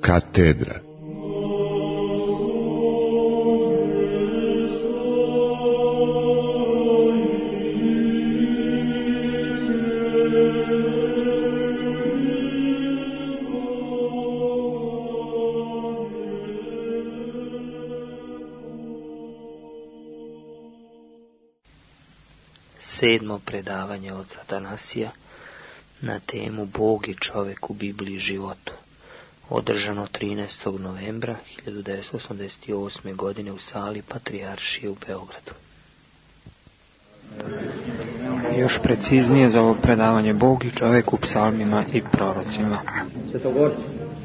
Katedra. Sedmo predavanje od Atanasija na temu Bog i čovjek u Bibliji i životu, održano 13. novembra 1988. godine u sali Patrijaršije u Beogradu. Još preciznije za ovo predavanje Bog i čovjek u psalmima i prorocima.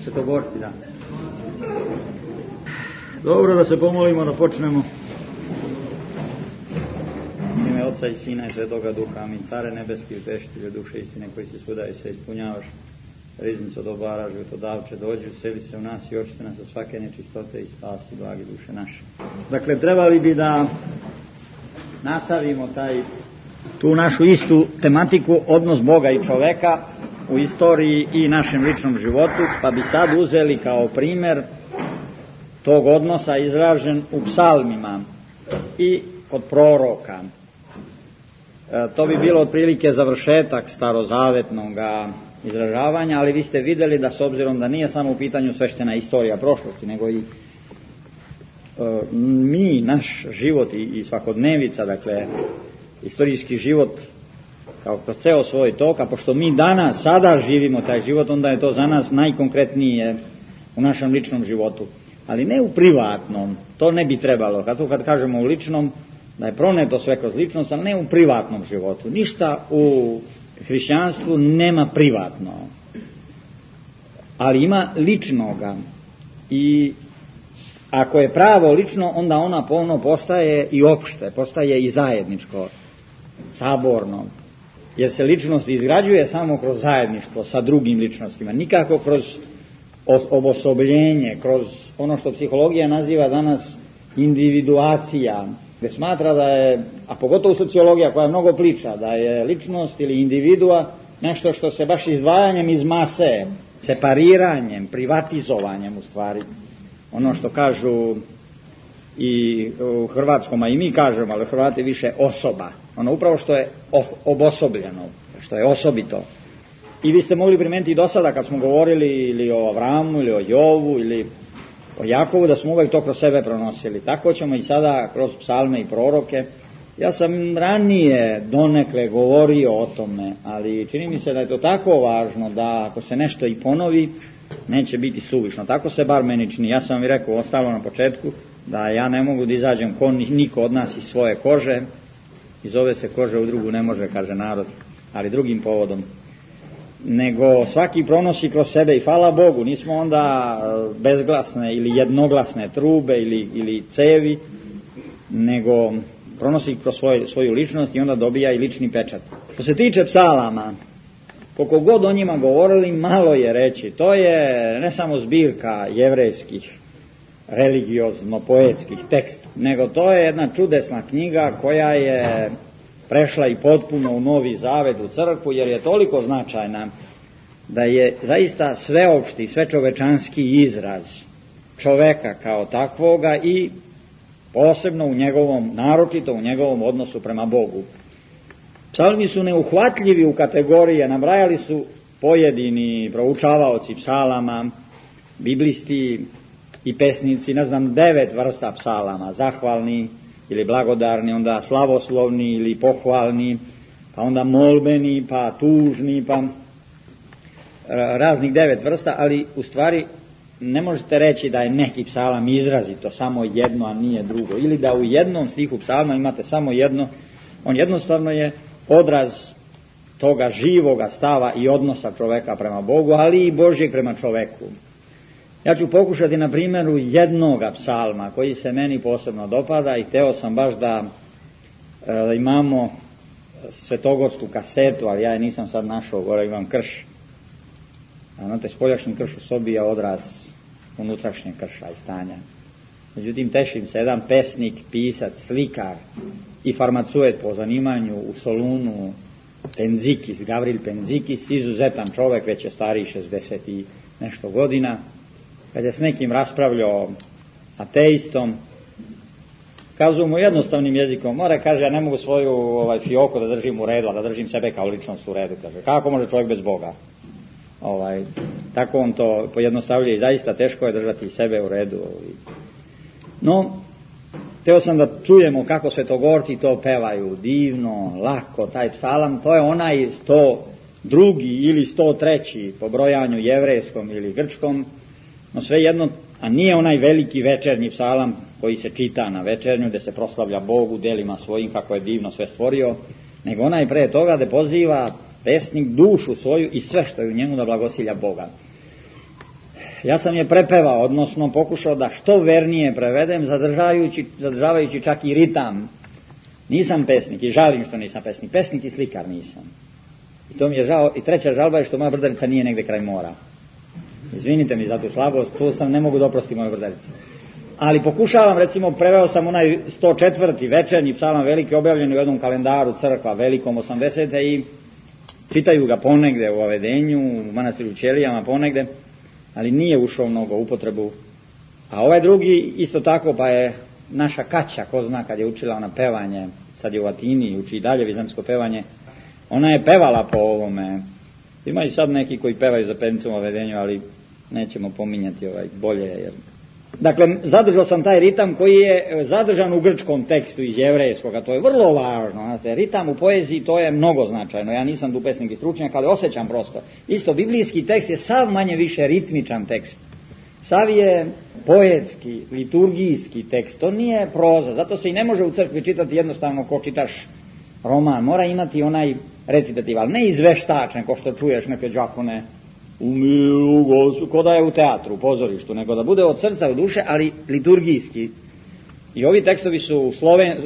Svetogorci, da. Dobro, da se pomolimo, da počnemo. Oca i Sina i Svetoga Duha, amin. Care nebeski, utešitelju duše istine koji se svuda i sve ispunjavaš, riznico dobara, životodavče, dođi, useli se u nas i očiste nas od svake nečistote i spasi blagi duše naše. Dakle, trebali bi da nastavimo tu našu istu tematiku, odnos Boga i čoveka u istoriji i našem ličnom životu, pa bi sad uzeli kao primjer tog odnosa izražen u psalmima i kod proroka. To bi bilo otprilike završetak starozavetnog izražavanja, ali vi ste vidjeli da s obzirom da nije samo u pitanju sveštena istorija prošlosti, nego i naš život i svakodnevica, dakle istorijski život kao kroz ceo svoj tok, a pošto mi sada živimo taj život, onda je to za nas najkonkretnije u našem ličnom životu. Ali ne u privatnom, to ne bi trebalo. Kad kažemo u ličnom, da je proneto sve kroz ličnost, ali ne u privatnom životu. Ništa u hrišćanstvu nema privatno, ali ima ličnoga. I ako je pravo lično, onda ono postaje i opšte, postaje i zajedničko, saborno. Jer se ličnost izgrađuje samo kroz zajedništvo sa drugim ličnostima, nikako kroz obosobljenje, kroz ono što psihologija naziva danas individuacija, gdje smatra da je, a pogotovo sociologija koja mnogo priča, da je ličnost ili individua nešto što se baš izdvajanjem iz mase, separiranjem, privatizovanjem u stvari, ono što kažu i u hrvatskom, a i mi kažemo, ali Hrvati više osoba, ono upravo što je obosobljeno, što je osobito. I vi ste mogli primetiti i do sada kad smo govorili ili o Avramu ili o Jovu ili o Jakovu, da smo uvijek to kroz sebe pronosili. Tako ćemo i sada kroz psalme i proroke. Ja sam ranije donekle govorio o tome, ali čini mi se da je to tako važno da ako se nešto i ponovi, neće biti suvišno. Tako se bar meni čini. Ja sam vam i rekao ostalo na početku da ja ne mogu da izađem niko od nas iz svoje kože. Iz ove se kože u drugu ne može, kaže narod, ali drugim povodom. Nego svaki pronosi kroz sebe i hvala Bogu, nismo onda bezglasne ili jednoglasne trube ili cevi, nego pronosi kroz svoju ličnost i onda dobija i lični pečat. Što se tiče psalama, koliko god o njima govorili, malo je reći. To je ne samo zbirka jevrejskih, religiozno-poetskih teksta, nego to je jedna čudesna knjiga koja je prešla i potpuno u Novi Zavet, u crkvu, jer je toliko značajna da je zaista sveopšti, svečovečanski izraz čoveka kao takvoga i posebno u njegovom, naročito u njegovom odnosu prema Bogu. Psalmi su neuhvatljivi u kategorije, nabrajali su pojedini proučavaoci psalama, biblisti i pesnici, 9 vrsta psalama, zahvalni ili blagodarni, onda slavoslovni ili pohvalni, pa onda molbeni, pa tužni, pa raznih 9 vrsta, ali u stvari ne možete reći da je neki psalam izrazito samo jedno, a nije drugo, ili da u jednom stihu psalma imate samo jedno. On jednostavno je odraz toga živoga stava i odnosa čoveka prema Bogu, ali i Božjeg prema čoveku. Ja ću pokušati na primjeru jednoga psalma koji se meni posebno dopada i hteo sam baš da imamo svetogorsku kasetu, ali ja je nisam sad našao, gore imam krš. Znate, spoljašnji krš u sobi je odraz unutrašnjeg krša i stanja. Međutim, tešim se, jedan pesnik, pisac, slikar i farmaceut po zanimanju u Solunu, Gavril Penzikis, izuzetan čovjek, već je stariji 60 i nešto godina, kad je s nekim raspravljao ateistom, kazao mu jednostavnim jezikom, mora, kaže, ja ne mogu svoju fioku da držim u redu, a da držim sebe kao ličnost u redu, kaže, kako može čovjek bez Boga? Tako on to pojednostavlja i zaista teško je držati sebe u redu. No, teo sam da čujemo kako svetogorci to pevaju, divno, lako, taj psalam, to je onaj 102. ili 103. po brojanju jevrejskom ili grčkom, no svejedno, a nije onaj veliki večernji psalam koji se čita na večernju, gdje se proslavlja Bogu delima svojim kako je divno sve stvorio, nego onaj pre toga da poziva pesnik dušu svoju i sve što je u njemu da blagosilja Boga. Ja sam je prepevao, odnosno pokušao da što vernije prevedem, zadržavajući čak i ritam. Nisam pesnik i žalim što nisam pesnik. Pesnik i slikar nisam. I to mi je žao. I treća žalba je što moja Brdarica nije negde kraj mora. Izvinite mi za tu slabost, tu sam ne mogu doprosti moju Brdaricu. Ali pokušavam, recimo, preveo sam onaj 104. večernji psalam veliki, objavljen u jednom kalendaru crkva velikom 80. i čitaju ga ponegde u Avedenju, u manastiru Ćelijama ponegde, ali nije ušao mnogo u upotrebu. A ovaj drugi isto tako, pa je naša Kaća, ko zna, kad je učila ona pevanje, sad je u Atini, uči i dalje vizantsko pevanje, ona je pevala po ovome. Ima i sad neki koji pevaju za pevnicom u Avedenju, ali nećemo pominjati bolje. Jer... Dakle, zadržao sam taj ritam koji je zadržan u grčkom tekstu iz jevrejskog, a to je vrlo važno. Znate, ritam u poeziji, to je mnogo značajno. Ja nisam tu pesnik i stručnjak, ali osjećam prosto. Isto, biblijski tekst je sav manje više ritmičan tekst. Sav je poetski, liturgijski tekst. To nije proza, zato se i ne može u crkvi čitati jednostavno ko čitaš roman. Mora imati onaj recitativ, ali ne izveštačen, ko što čuješ neke đakone ko da je u teatru, u pozorištu, nego da bude od srca, od duše, ali liturgijski. I ovi tekstovi su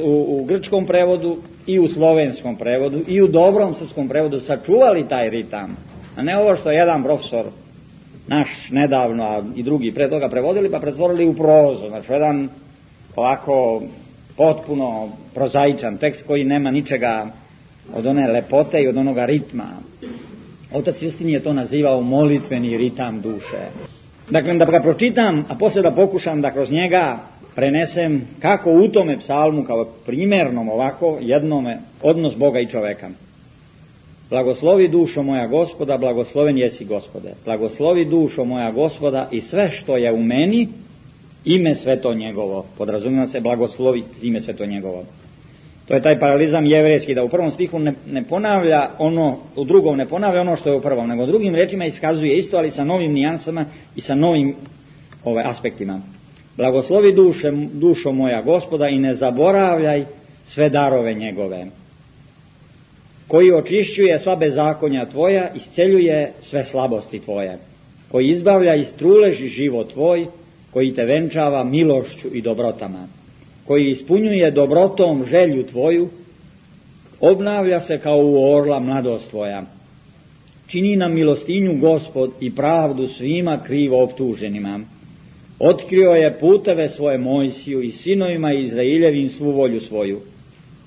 u grčkom prevodu i u slovenskom prevodu i u dobrom srpskom prevodu sačuvali taj ritam, a ne ovo što je jedan profesor naš nedavno, a i drugi pre toga prevodili, pa pretvorili u prozu. Znači, jedan ovako potpuno prozaičan tekst koji nema ničega od one lepote i od onoga ritma. Otac Justin je to nazivao molitveni ritam duše. Dakle, da ga pročitam, a poslije da pokušam da kroz njega prenesem kako u tome psalmu, kao primjernom ovako, jednome, odnos Boga i čoveka. Blagoslovi dušo moja Gospoda, blagosloven jesi Gospode. Blagoslovi dušo moja Gospoda i sve što je u meni, ime sveto njegovo. Podrazumijeva se blagoslovi ime sveto njegovo. To je taj paralizam jevrejski, da u prvom stihu ne ponavlja ono, u drugom ne ponavlja ono što je u prvom, nego drugim rečima iskazuje isto, ali sa novim nijansama i sa novim aspektima. Blagoslovi dušo moja Gospoda i ne zaboravljaj sve darove njegove, koji očišćuje sva bezakonja tvoja, isceljuje sve slabosti tvoje, koji izbavlja iz truleži život tvoj, koji te venčava milošću i dobrotama, koji ispunjuje dobrotom želju tvoju, obnavlja se kao u orla mladost tvoja. Čini nam milostinju Gospod i pravdu svima krivo optuženima. Otkrio je puteve svoje Mojsiju i sinovima Izraeljevim svu volju svoju.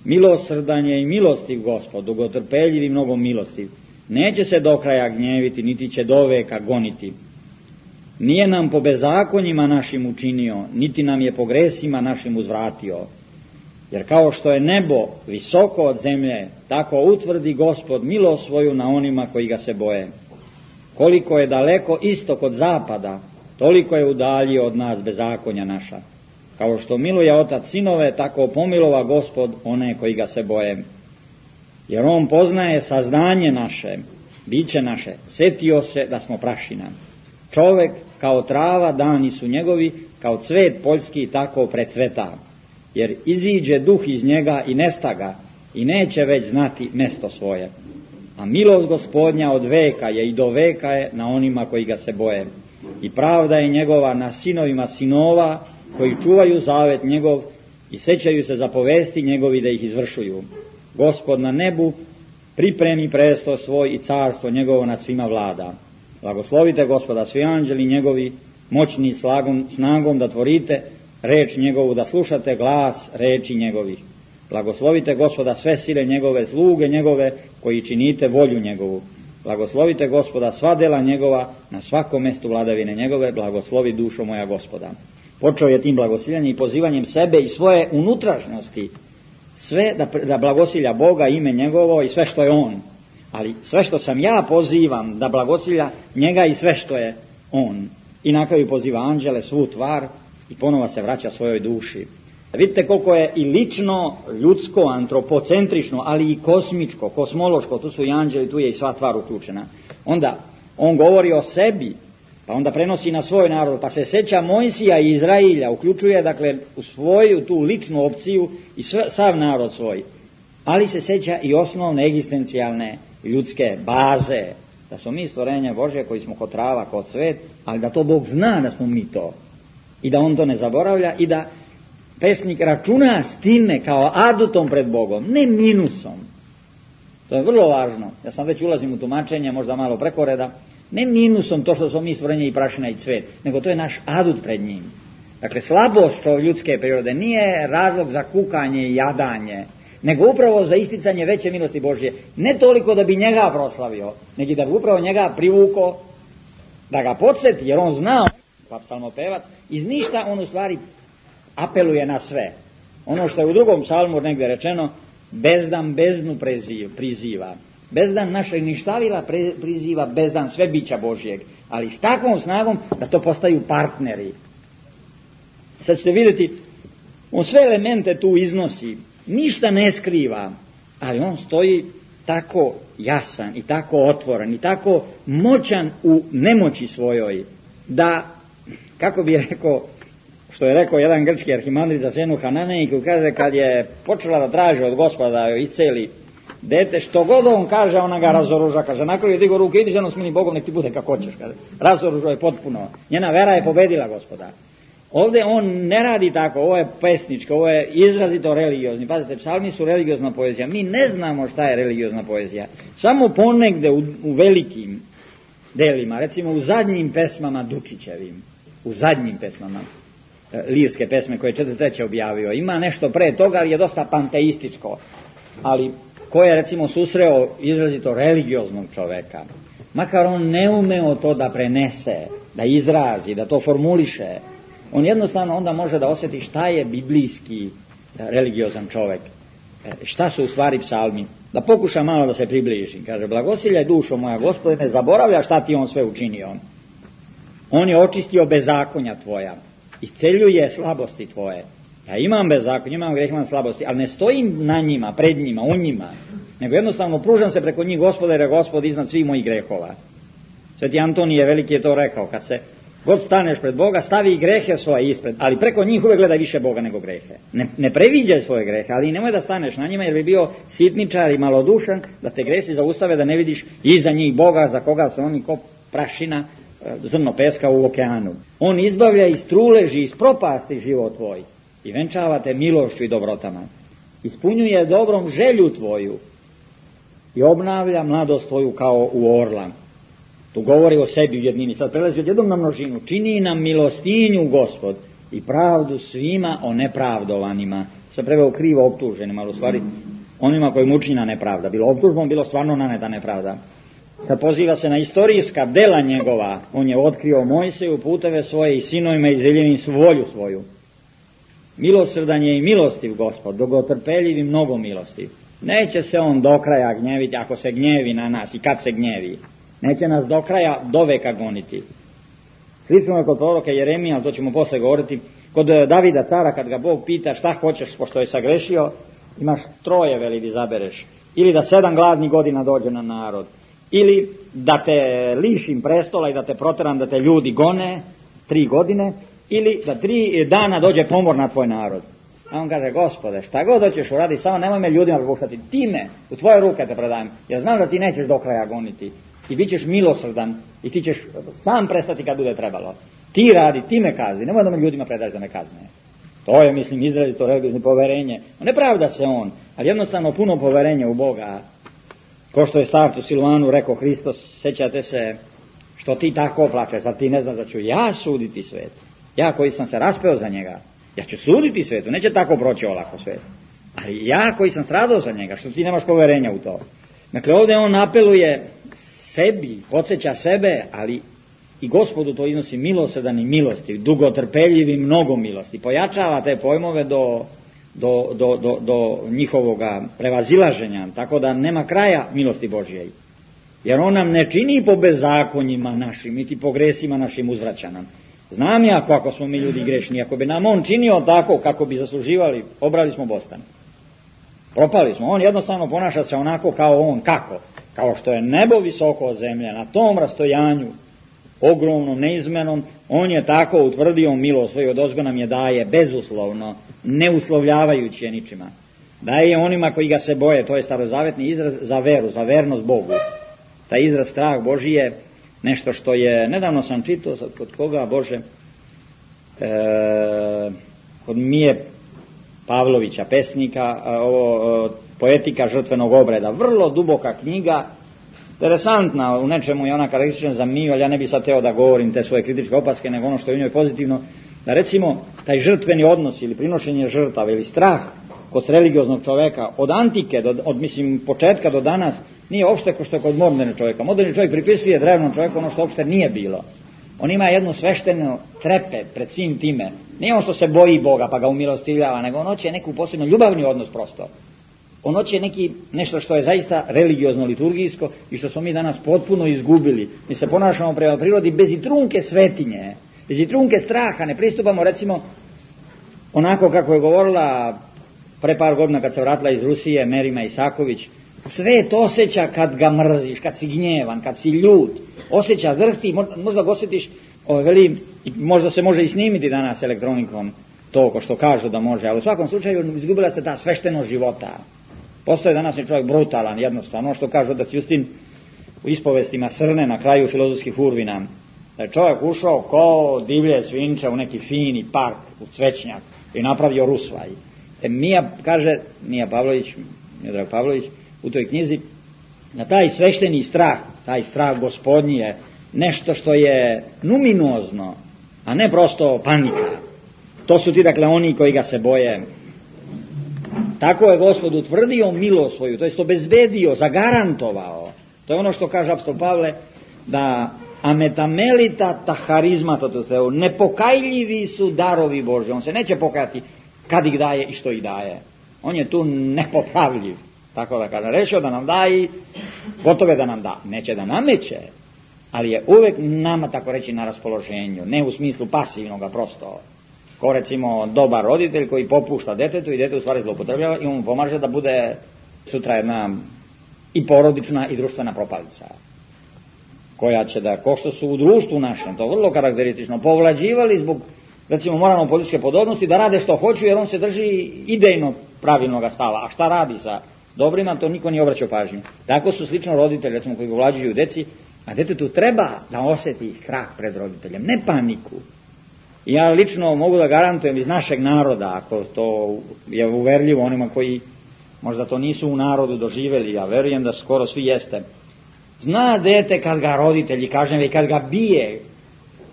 Milosrdan je i milostiv Gospod, dugotrpeljiv i mnogo milostiv. Neće se do kraja gnjeviti, niti će do veka goniti. Nije nam po bezakonjima našim učinio, niti nam je po gresima našim uzvratio. Jer kao što je nebo visoko od zemlje, tako utvrdi Gospod milost svoju na onima koji ga se boje. Koliko je daleko istok od zapada, toliko je udaljio od nas bezakonja naša. Kao što miluje otac sinove, tako pomilova Gospod one koji ga se boje. Jer on poznaje saznanje naše, biće naše, setio se da smo prašina. Čovek kao trava, dani su njegovi, kao cvet poljski tako precveta. Jer iziđe duh iz njega i nesta ga, i neće već znati mesto svoje. A milost Gospodnja od veka je i do veka je na onima koji ga se boje. I pravda je njegova na sinovima sinova, koji čuvaju zavet njegov i sećaju se zapovesti njegovi da ih izvršuju. Gospod na nebu pripremi presto svoj i carstvo njegovo nad svima vlada. Blagoslovite Gospoda svi anđeli njegovi, moćni snagom da tvorite, reč njegovu da slušate, glas reči njegovih. Blagoslovite Gospoda sve sile njegove, sluge njegove, koji činite volju njegovu. Blagoslovite Gospoda, sva dela njegova, na svakom mjestu vladavine njegove, blagoslovi dušo moja Gospoda. Počeo je tim blagosiljanjem i pozivanjem sebe i svoje unutrašnjosti, sve da blagosilja Boga, ime njegovo i sve što je on. Ali sve što sam ja pozivam da blagosilja njega i sve što je on. I na kraju poziva anđele, svu tvar i ponovo se vraća svojoj duši. Vidite koliko je i lično, ljudsko, antropocentrično, ali i kosmičko, kosmološko, tu su i anđeli, tu je i sva tvar uključena. Onda on govori o sebi, pa onda prenosi na svoj narod, pa se seća Mojsija i Izrailja, uključuje dakle u svoju tu ličnu opciju i sav narod svoj. Ali se seća i osnovne egzistencijalne ljudske baze, da smo mi stvorenje Božje koji smo kod trava, kod cvet, ali da to Bog zna da smo mi to. I da on to ne zaboravlja i da pesnik računa s time kao adutom pred Bogom, ne minusom. To je vrlo važno. Ja sam već ulazim u tumačenje, možda malo preko reda. Ne minusom to što smo mi stvorenje i prašina i cvet, nego to je naš adut pred njim. Dakle, slabost ljudske prirode nije razlog za kukanje i jadanje, nego upravo za isticanje veće milosti Božje. Ne toliko da bi njega proslavio, nego da bi upravo njega privuko, da ga podsjeti, jer on zna, pa psalmopevac, iz ništa on u stvari apeluje na sve. Ono što je u drugom psalmu negdje rečeno, bezdan bezdnu priziva. Bezdan našeg ništavila priziva bezdan sve bića Božjeg, ali s takvom snagom da to postaju partneri. Sad ćete vidjeti, on sve elemente tu iznosi, ništa ne skriva, ali on stoji tako jasan i tako otvoren i tako moćan u nemoći svojoj, da, kako bi rekao, što je rekao jedan grčki arhimandrit za ženu Hananejku, kaže kad je počela da traži od Gospoda da joj isceli dete, što god on kaže, ona ga razoruža, kaže, na kraju je digo ruke, idi ženo s mini Bogom, nek ti bude kako hoćeš, kaže, razoruža je potpuno, njena vera je pobedila Gospoda. Ovdje on ne radi tako, ovo je pesničko, ovo je izrazito religiozni. Pazite, psalmi su religiozna poezija. Mi ne znamo šta je religiozna poezija. Samo ponegde u velikim delima, recimo u zadnjim pesmama Dučićevim, u zadnjim pesmama, lirske pesme koje je 43. objavio. Ima nešto pre toga, ali je dosta panteističko. Ali ko je recimo susreo izrazito religioznog čoveka, makar on ne umeo to da prenese, da izrazi, da to formuliše, on jednostavno onda može da osjeti šta je biblijski religiozan čovjek, šta su u stvari psalmi. Da pokuša malo da se približi. Kaže, blagosiljaj dušo moja Gospode, ne zaboravlja šta ti on sve učinio. On je očistio bezakonja tvoja, isceljuje slabosti tvoje. Ja imam bezakonja, imam greh, imam slabosti, ali ne stojim na njima, pred njima, u njima, nego jednostavno pružam se preko njih, Gospode, jer je Gospod iznad svih mojih grehova. Sveti Antonije Veliki je to rekao, kad se god staneš pred Boga, stavi i grehe svoje ispred, ali preko njih uvek gledaj više Boga nego grehe. Ne previđaj svoje grehe, ali nemoj da staneš na njima, jer bi bio sitničar i malodušan, da te gresi zaustave, da ne vidiš iza njih Boga, za koga su oni ko prašina, zrno peska u okeanu. On izbavlja iz truleži, iz propasti život tvoj i venčava te milošću i dobrotama. Ispunjuje dobrom želju tvoju i obnavlja mladost tvoju kao u orla. Tu govori o sebi u jednini, sad prelazi od jednom na množinu. Čini nam milostinju Gospod i pravdu svima o nepravdovanima. Se preveo krivo optuženima, ali u stvari onima koji mučina nepravda. Bilo optužbom, bilo stvarno naneta nepravda. Sad poziva se na istorijska dela njegova. On je otkrio Mojsiju puteve svoje i sinovima izdeljivim volju svoju. Milosrdan je i milostiv Gospod, dogotrpeljiv i mnogo milostiv. Neće se on do kraja gnjeviti ako se gnjevi na nas i kad se gnjevi. Neće nas do kraja, do veka goniti. Slično je kod proroka Jeremija, ali to ćemo posle govoriti, kod Davida cara, kad ga Bog pita šta hoćeš, pošto je sagrešio, imaš 3 veli da izabereš. Ili da 7 gladnih godina dođe na narod, ili da te lišim prestola i da te proteram, da te ljudi gone 3 godine, ili da 3 dana dođe pomor na tvoj narod. A on kaže, Gospode, šta god hoćeš uradi, samo nemoj me ljudima prepuštati, ti me, u tvoje ruke te predajem, jer znam da ti nećeš do kraja goniti. I bit ćeš milosrdan i ti ćeš sam prestati kad bude trebalo. Ti radi, ti me kazni, nemoj da me ljudima predaješ da me kazne. To je, mislim, izrazito religiozno poverenje. Ne pravda se on, ali jednostavno puno poverenja u Boga. Ko što je starcu Silvanu rekao Hristos, sećate se što ti tako plačeš, a ti ne znaš da ću ja suditi svet. Ja koji sam se raspeo za njega, ja ću suditi svetu, neće tako proći olako svet. Ali ja koji sam stradao za njega, što ti nemaš poverenja u to. Dakle, ovdje on apeluje sebi, podsjeća sebe, ali i Gospodu to iznosi milosrdan i milostiv, dugotrpeljiv i mnogo milosti. Pojačava te pojmove do njihovoga prevazilaženja, tako da nema kraja milosti Božje. Jer on nam ne čini po bezakonjima našim, niti po gresima našim uzvraća nam. Znam ja kako smo mi ljudi grešni, ako bi nam on činio tako kako bi zasluživali, obrali smo bostan. Propali smo. On jednostavno ponaša se onako kao on. Kako? Kao što je nebo visoko od zemlje, na tom rastojanju, ogromnom, neizmenom, on je tako utvrdio milost svoju, odozgo nam je daje bezuslovno, ne uslovljavajući je ničima. Daje je onima koji ga se boje, to je starozavetni izraz za veru, za vernost Bogu. Taj izraz strah Božji je nešto što je, nedavno sam čitao, kod koga Bože, kod Mije Pavlovića, pesnika, poetika žrtvenog obreda, vrlo duboka knjiga, interesantna, u nečemu je ona karakteristična za Miju, ali ja ne bih sad teo da govorim te svoje kritičke opaske, nego ono što je u njoj pozitivno, da recimo taj žrtveni odnos ili prinošenje žrtava ili strah kod religioznog čoveka od antike, od početka do danas, nije uopšte kao što je kod modernog čovjeka. Moderni čovjek pripisuje drevnom čovjeku ono što uopšte nije bilo. On ima jednu sveštenu trepet pred svim time. Nije on što se boji Boga pa ga umilostivljava, nego on hoće neku posebno ljubavni odnos prosto. On hoće nešto što je zaista religiozno, liturgijsko i što smo mi danas potpuno izgubili. Mi se ponašamo prema prirodi bez i trunke svetinje, bez i trunke straha. Ne pristupamo recimo onako kako je govorila pre par godina kad se vratila iz Rusije Merima Isaković. Svet osjeća kad ga mrziš, kad si gnjevan, kad si ljut. Osjeća, drhti, možda ga osjetiš, možda se može i snimiti danas elektronikom, to ko što kažu da može, ali u svakom slučaju izgubila se ta sveštenost života. Postoje današnji čovjek brutalan, jednostavno, što kaže otac Justin u ispovestima Srne na kraju filozofskih urvina. Da je čovjek ušao ko divlje svinče u neki fini park, u cvećnjak i napravio rusvaj. Miodrag Pavlović, u toj knjizi, na taj svešteni strah, taj strah Gospodnji je nešto što je numinozno, a ne prosto panika. To su ti, dakle, oni koji ga se boje. Tako je Gospod utvrdio milost svoju, to jest obezbedio, zagarantovao. To je ono što kaže apostol Pavle, da ametamelita ta harizmata, nepokajljivi su darovi Bože. On se neće pokajati kad ih daje i što ih daje. On je tu nepopravljiv. Tako da kaže, rešio da nam da i gotove da nam da. Neće da nameće, ali je uvek nama, tako reći, na raspoloženju. Ne u smislu pasivnoga prosto. Ko recimo dobar roditelj koji popušta detetu i dete u stvari zloupotrebljava i on mu pomaže da bude sutra jedna i porodična i društvena propalica. Koja će da, ko što su u društvu našem, to vrlo karakteristično, povlađivali zbog recimo moralno-političke podobnosti da rade što hoću jer on se drži idejno pravilnog stava. A šta radi sa dobrima, to niko nije obraćao pažnju. Tako su slično roditelji, recimo, koji povlađuju deci, a detetu treba da osjeti strah pred roditeljem, ne paniku. I ja lično mogu da garantujem iz našeg naroda, ako to je uverljivo onima koji možda to nisu u narodu doživjeli, ja verujem da skoro svi jeste. Zna dete kad ga roditelji, kažem, i kad ga bije,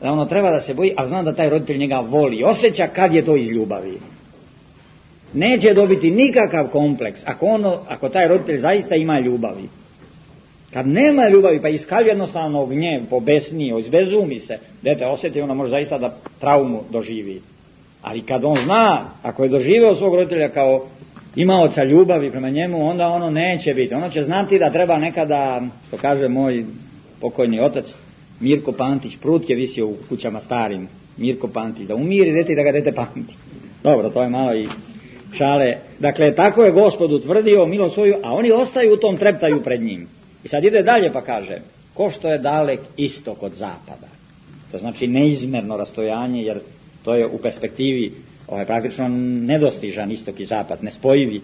da ono treba da se boji, a zna da taj roditelj njega voli, osjeća kad je to iz ljubavi. Neće dobiti nikakav kompleks ako taj roditelj zaista ima ljubavi. Kad nema ljubavi pa iskaljuje jednostavno gnjev, pobesnije, izbezumi se, dete osjeti, onda može zaista da traumu doživi. Ali kad on zna, ako je doživeo svog roditelja kao imaoca ljubavi prema njemu, onda ono neće biti. Ono će znati da treba nekada, što kaže moj pokojni otac Mirko Pantić, prut je visio u kućama starim, Mirko Pantić, da umiri dete i da ga dete pamti. Dobro, to je malo i šale. Dakle, tako je Gospod utvrdio milost svoju, a oni ostaju u tom treptaju pred njim. I sad ide dalje pa kaže, ko što je dalek istok od zapada. To znači neizmerno rastojanje, jer to je u perspektivi praktično nedostižan istok i zapad, nespojivi.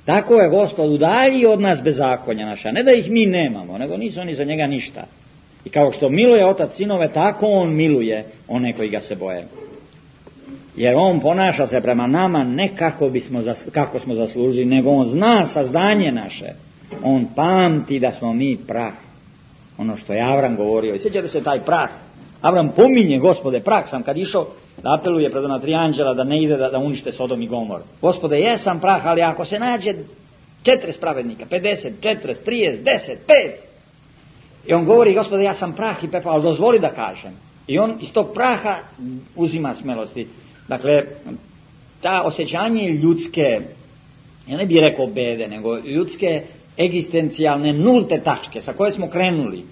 Tako je Gospod udaljio od nas bezakonja naša, ne da ih mi nemamo, nego nisu oni za njega ništa. I kao što miluje otac sinove, tako on miluje one koji ga se boje. Jer on ponaša se prema nama ne kako smo zaslužili, nego on zna sazdanje naše. On pamti da smo mi prah. Ono što je Avram govorio. I sjećate se taj prah. Avram pominje, Gospode, prah sam, kad išao da apeluje pred ona 3 anđela da ne ide da unište Sodom i Gomor. Gospode, jesam prah, ali ako se nađe 40 pravednika, 50, 40, 30, 10, 5, I on govori, Gospode, ja sam prah i pepeo, ali dozvoli da kažem. I on iz tog praha uzima smelosti. Dakle, ta osjećanje ljudske, ja ne bih rekao bede, nego ljudske egzistencijalne nulte tačke sa koje smo krenuli.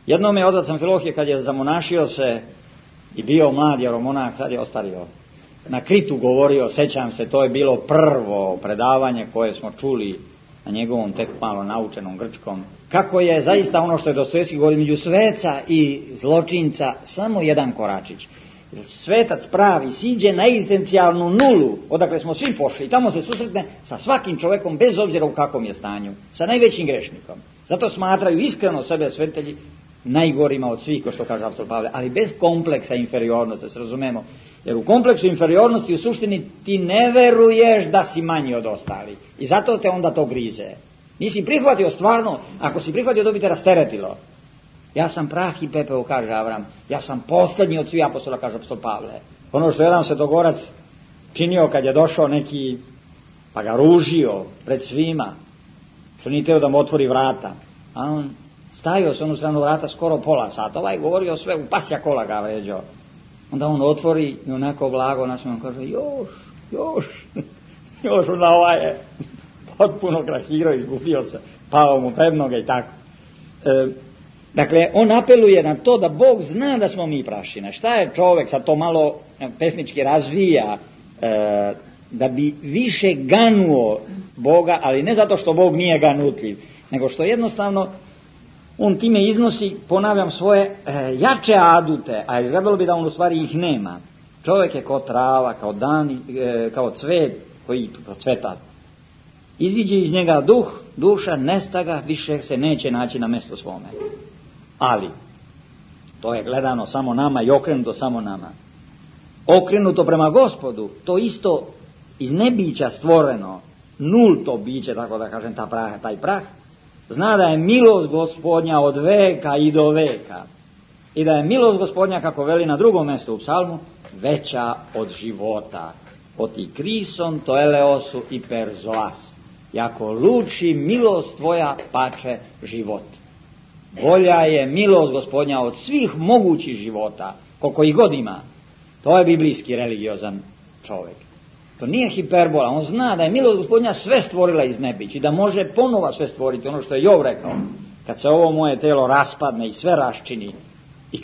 Jednom je otac Amfilohije, kad je zamonašio se i bio mlad jeromonah, sad je ostario, na Kritu govorio, sećam se, to je bilo prvo predavanje koje smo čuli na njegovom tek malo naučenom grčkom, kako je zaista ono što je Dostojevski govori, među sveca i zločinca samo jedan koračić. Svetac pravi siđe na egzistencijalnu nulu, odakle smo svi pošli, i tamo se susretne sa svakim čovjekom bez obzira u kakvom je stanju, sa najvećim grešnikom. Zato smatraju iskreno sebe svetitelji najgorima od svih, ko što kaže apostol Pavle, ali bez kompleksa inferiornosti, da se razumemo. Jer u kompleksu inferiornosti u suštini ti ne veruješ da si manji od ostali. I zato te onda to grize. Nisi prihvatio stvarno, ako si prihvatio, to bi te rasteretilo. Ja sam prah i pepeo, kaže Avram. Ja sam posljednji od svih apostola, kaže apostol Pavle. Ono što je jedan svetogorac činio kad je došao neki, pa ga ružio pred svima, što nije teo da mu otvori vrata. A on stajao se onu stranu vrata skoro pola sata. Ovaj govorio sve, u pasja kola ga vređao. Onda on otvori i onako blago nasmijano kaže, još, onda ovaj je potpuno krahirao, izgubio se, pao mu pred noge i tako. Dakle, on apeluje na to da Bog zna da smo mi prašina. Šta je čovjek, sad to malo pesnički razvija, da bi više ganuo Boga, ali ne zato što Bog nije ganutljiv, nego što jednostavno on time iznosi, ponavljam, svoje jače adute, a izgledalo bi da on u stvari ih nema. Čovjek je kao trava, kao dan, kao cvet koji procveta. Iziđe iz njega duh, duša, nesta ga, više se neće naći na mjestu svome. Ali, to je gledano samo nama i okrenuto samo nama. Okrenuto prema Gospodu, to isto iz nebića stvoreno, nulto biće, tako da kažem, taj prah, zna da je milost Gospodnja od veka i do veka. I da je milost Gospodnja, kako veli na drugom mjestu u psalmu, veća od života. Oti krison to eleosu i perzoas. Jako luči milost tvoja pače život. Bolja je milost Gospodnja od svih mogućih života, koliko ih god ima. To je biblijski religiozan čovjek. To nije hiperbola, on zna da je milost Gospodnja sve stvorila iz nebić i da može ponova sve stvoriti, ono što je Jov rekao. Kad se ovo moje telo raspadne i sve raščini, i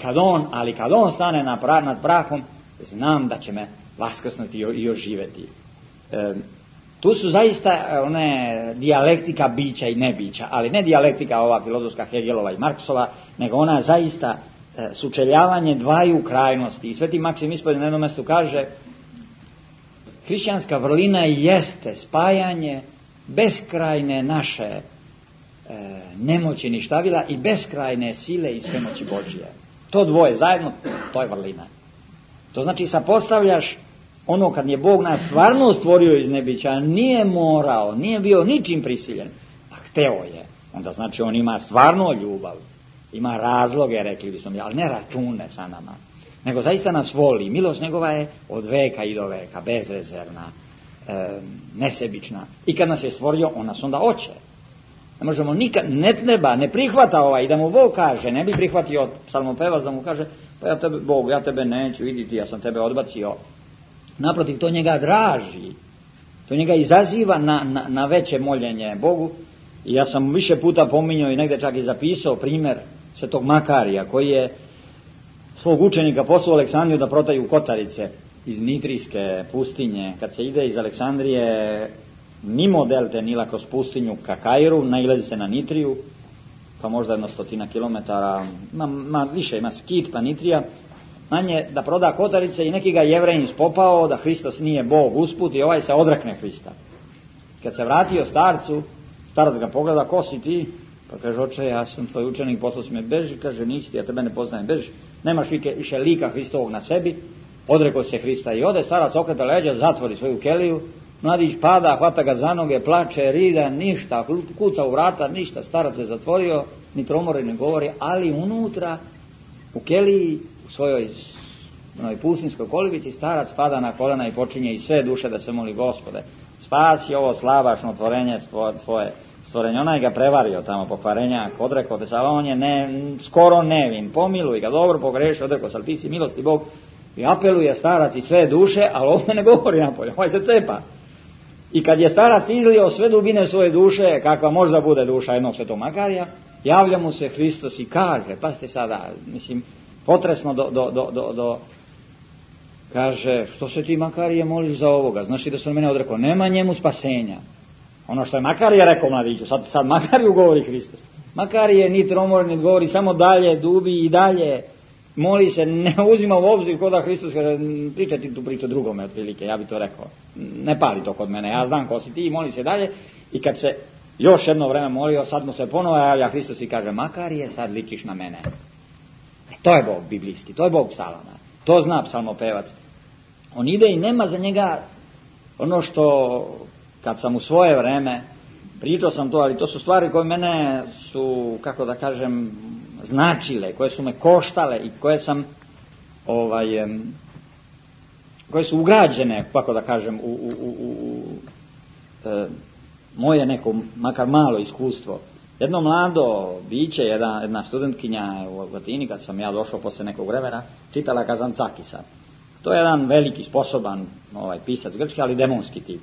kad on stane nad prahom, znam da će me vaskrsnuti i oživjeti. Tu su zaista one dijalektika bića i nebića, ali ne dijalektika ova filozofska Hegelova i Marksova, nego ona zaista sučeljavanje dvaju krajnosti. I Sveti Maksim Ispovjednik na jednom mjestu kaže, hrišćanska vrlina jeste spajanje beskrajne naše nemoći ništavila i beskrajne sile i svemoći Božije. To dvoje zajedno, to je vrlina. To znači sapostavljaš ono kad je Bog nas stvarno stvorio iz nebića, nije morao, nije bio ničim prisiljen, a hteo je. Onda znači on ima stvarno ljubav, ima razloge, rekli bismo mi, ali ne račune sa nama. Nego zaista nas voli. Milost njegova je od veka i do veka, bezrezervna, nesebična. I kad nas je stvorio, on nas onda hoće. Ne možemo nikad, ne treba, ne prihvata i da mu Bog kaže, ne bi prihvatio psalmopevac da mu kaže, pa ja tebe neću vidjeti, ja sam tebe odbacio. Naprotiv, to njega draži, to njega izaziva na veće moljenje Bogu. I ja sam više puta pominjao i negdje čak i zapisao primjer svetog Makarija, koji je svog učenika poslao Aleksandriju da protaju kotarice iz Nitrijske pustinje. Kad se ide iz Aleksandrije mimo delte Nila kroz pustinju ka Kairu, nailazi se na Nitriju, pa možda 100 kilometara, više ima Skit pa Nitrija, manje da proda kotarice i neki ga Jevrejin spopao da Hristos nije Bog usput i ovaj se odrekne Hrista. Kad se vratio starcu, starac ga pogleda, ko si ti? Pa kaže, oče, ja sam tvoj učenik, poslao si me, beži, kaže, nisi ti, ja tebe ne poznajem, beži, nemaš više lika Hristovog na sebi, odrekao se Hrista i ode, starac okreta leđa, zatvori svoju keliju, mladić pada, hvata ga za noge, plače, rida, ništa, kuca u vrata, ništa, starac se zatvorio, ni tromori ne govori, ali unutra, u keliji, u svojoj pustinskoj kolibici, starac pada na kolena i počinje iz sve duše da se moli, Gospode, spasi ovo slabašno tvorenje tvoje, stvorenja, onaj ga prevario tamo pokvarenjak, odrekao te se, ali on je skoro nevin, pomiluj ga, dobro pogrešio, odrekao se, ali ti si milosti Bog, i apeluje starac i sve duše, ali ovdje ne govori napolje, ovaj se cepa. I kad je starac izlio sve dubine svoje duše, kakva možda bude duša jednog svetog Makarija, javlja mu se Hristos i kaže, pazite sada, mislim, potresno kaže, što se ti Makarije moliš za ovoga, znaš li da se on mene odrekao, nema njemu spasenja. Ono što je Makarije rekao mladiću, sad Makariju govori Hristos. Makarije ni tromor, ni govori, samo dalje, dubi i dalje, moli se, ne uzima u obzir kod da Hristos kaže, pričaj ti tu priču drugome otprilike, ja bi to rekao, ne pali to kod mene, ja znam ko si ti, i moli se dalje, i kad se još jedno vreme molio, sad mu se ponovo javlja Hristos i kaže, Makarije, sad ličiš na mene. To je Bog biblijski, to je Bog psalama, to zna psalmopevac. On ide i nema za njega ono što, kad sam u svoje vreme, pričao sam to, ali to su stvari koje mene su, kako da kažem, značile, koje su me koštale i koje sam, koje su ugrađene, kako da kažem, u moje neko, makar malo iskustvo. Jedno mlado biće, jedna studentkinja u Latini, kad sam ja došao posle nekog vremena, čitala Kazancakisa. To je jedan veliki, sposoban pisac grčki, ali demonski tip.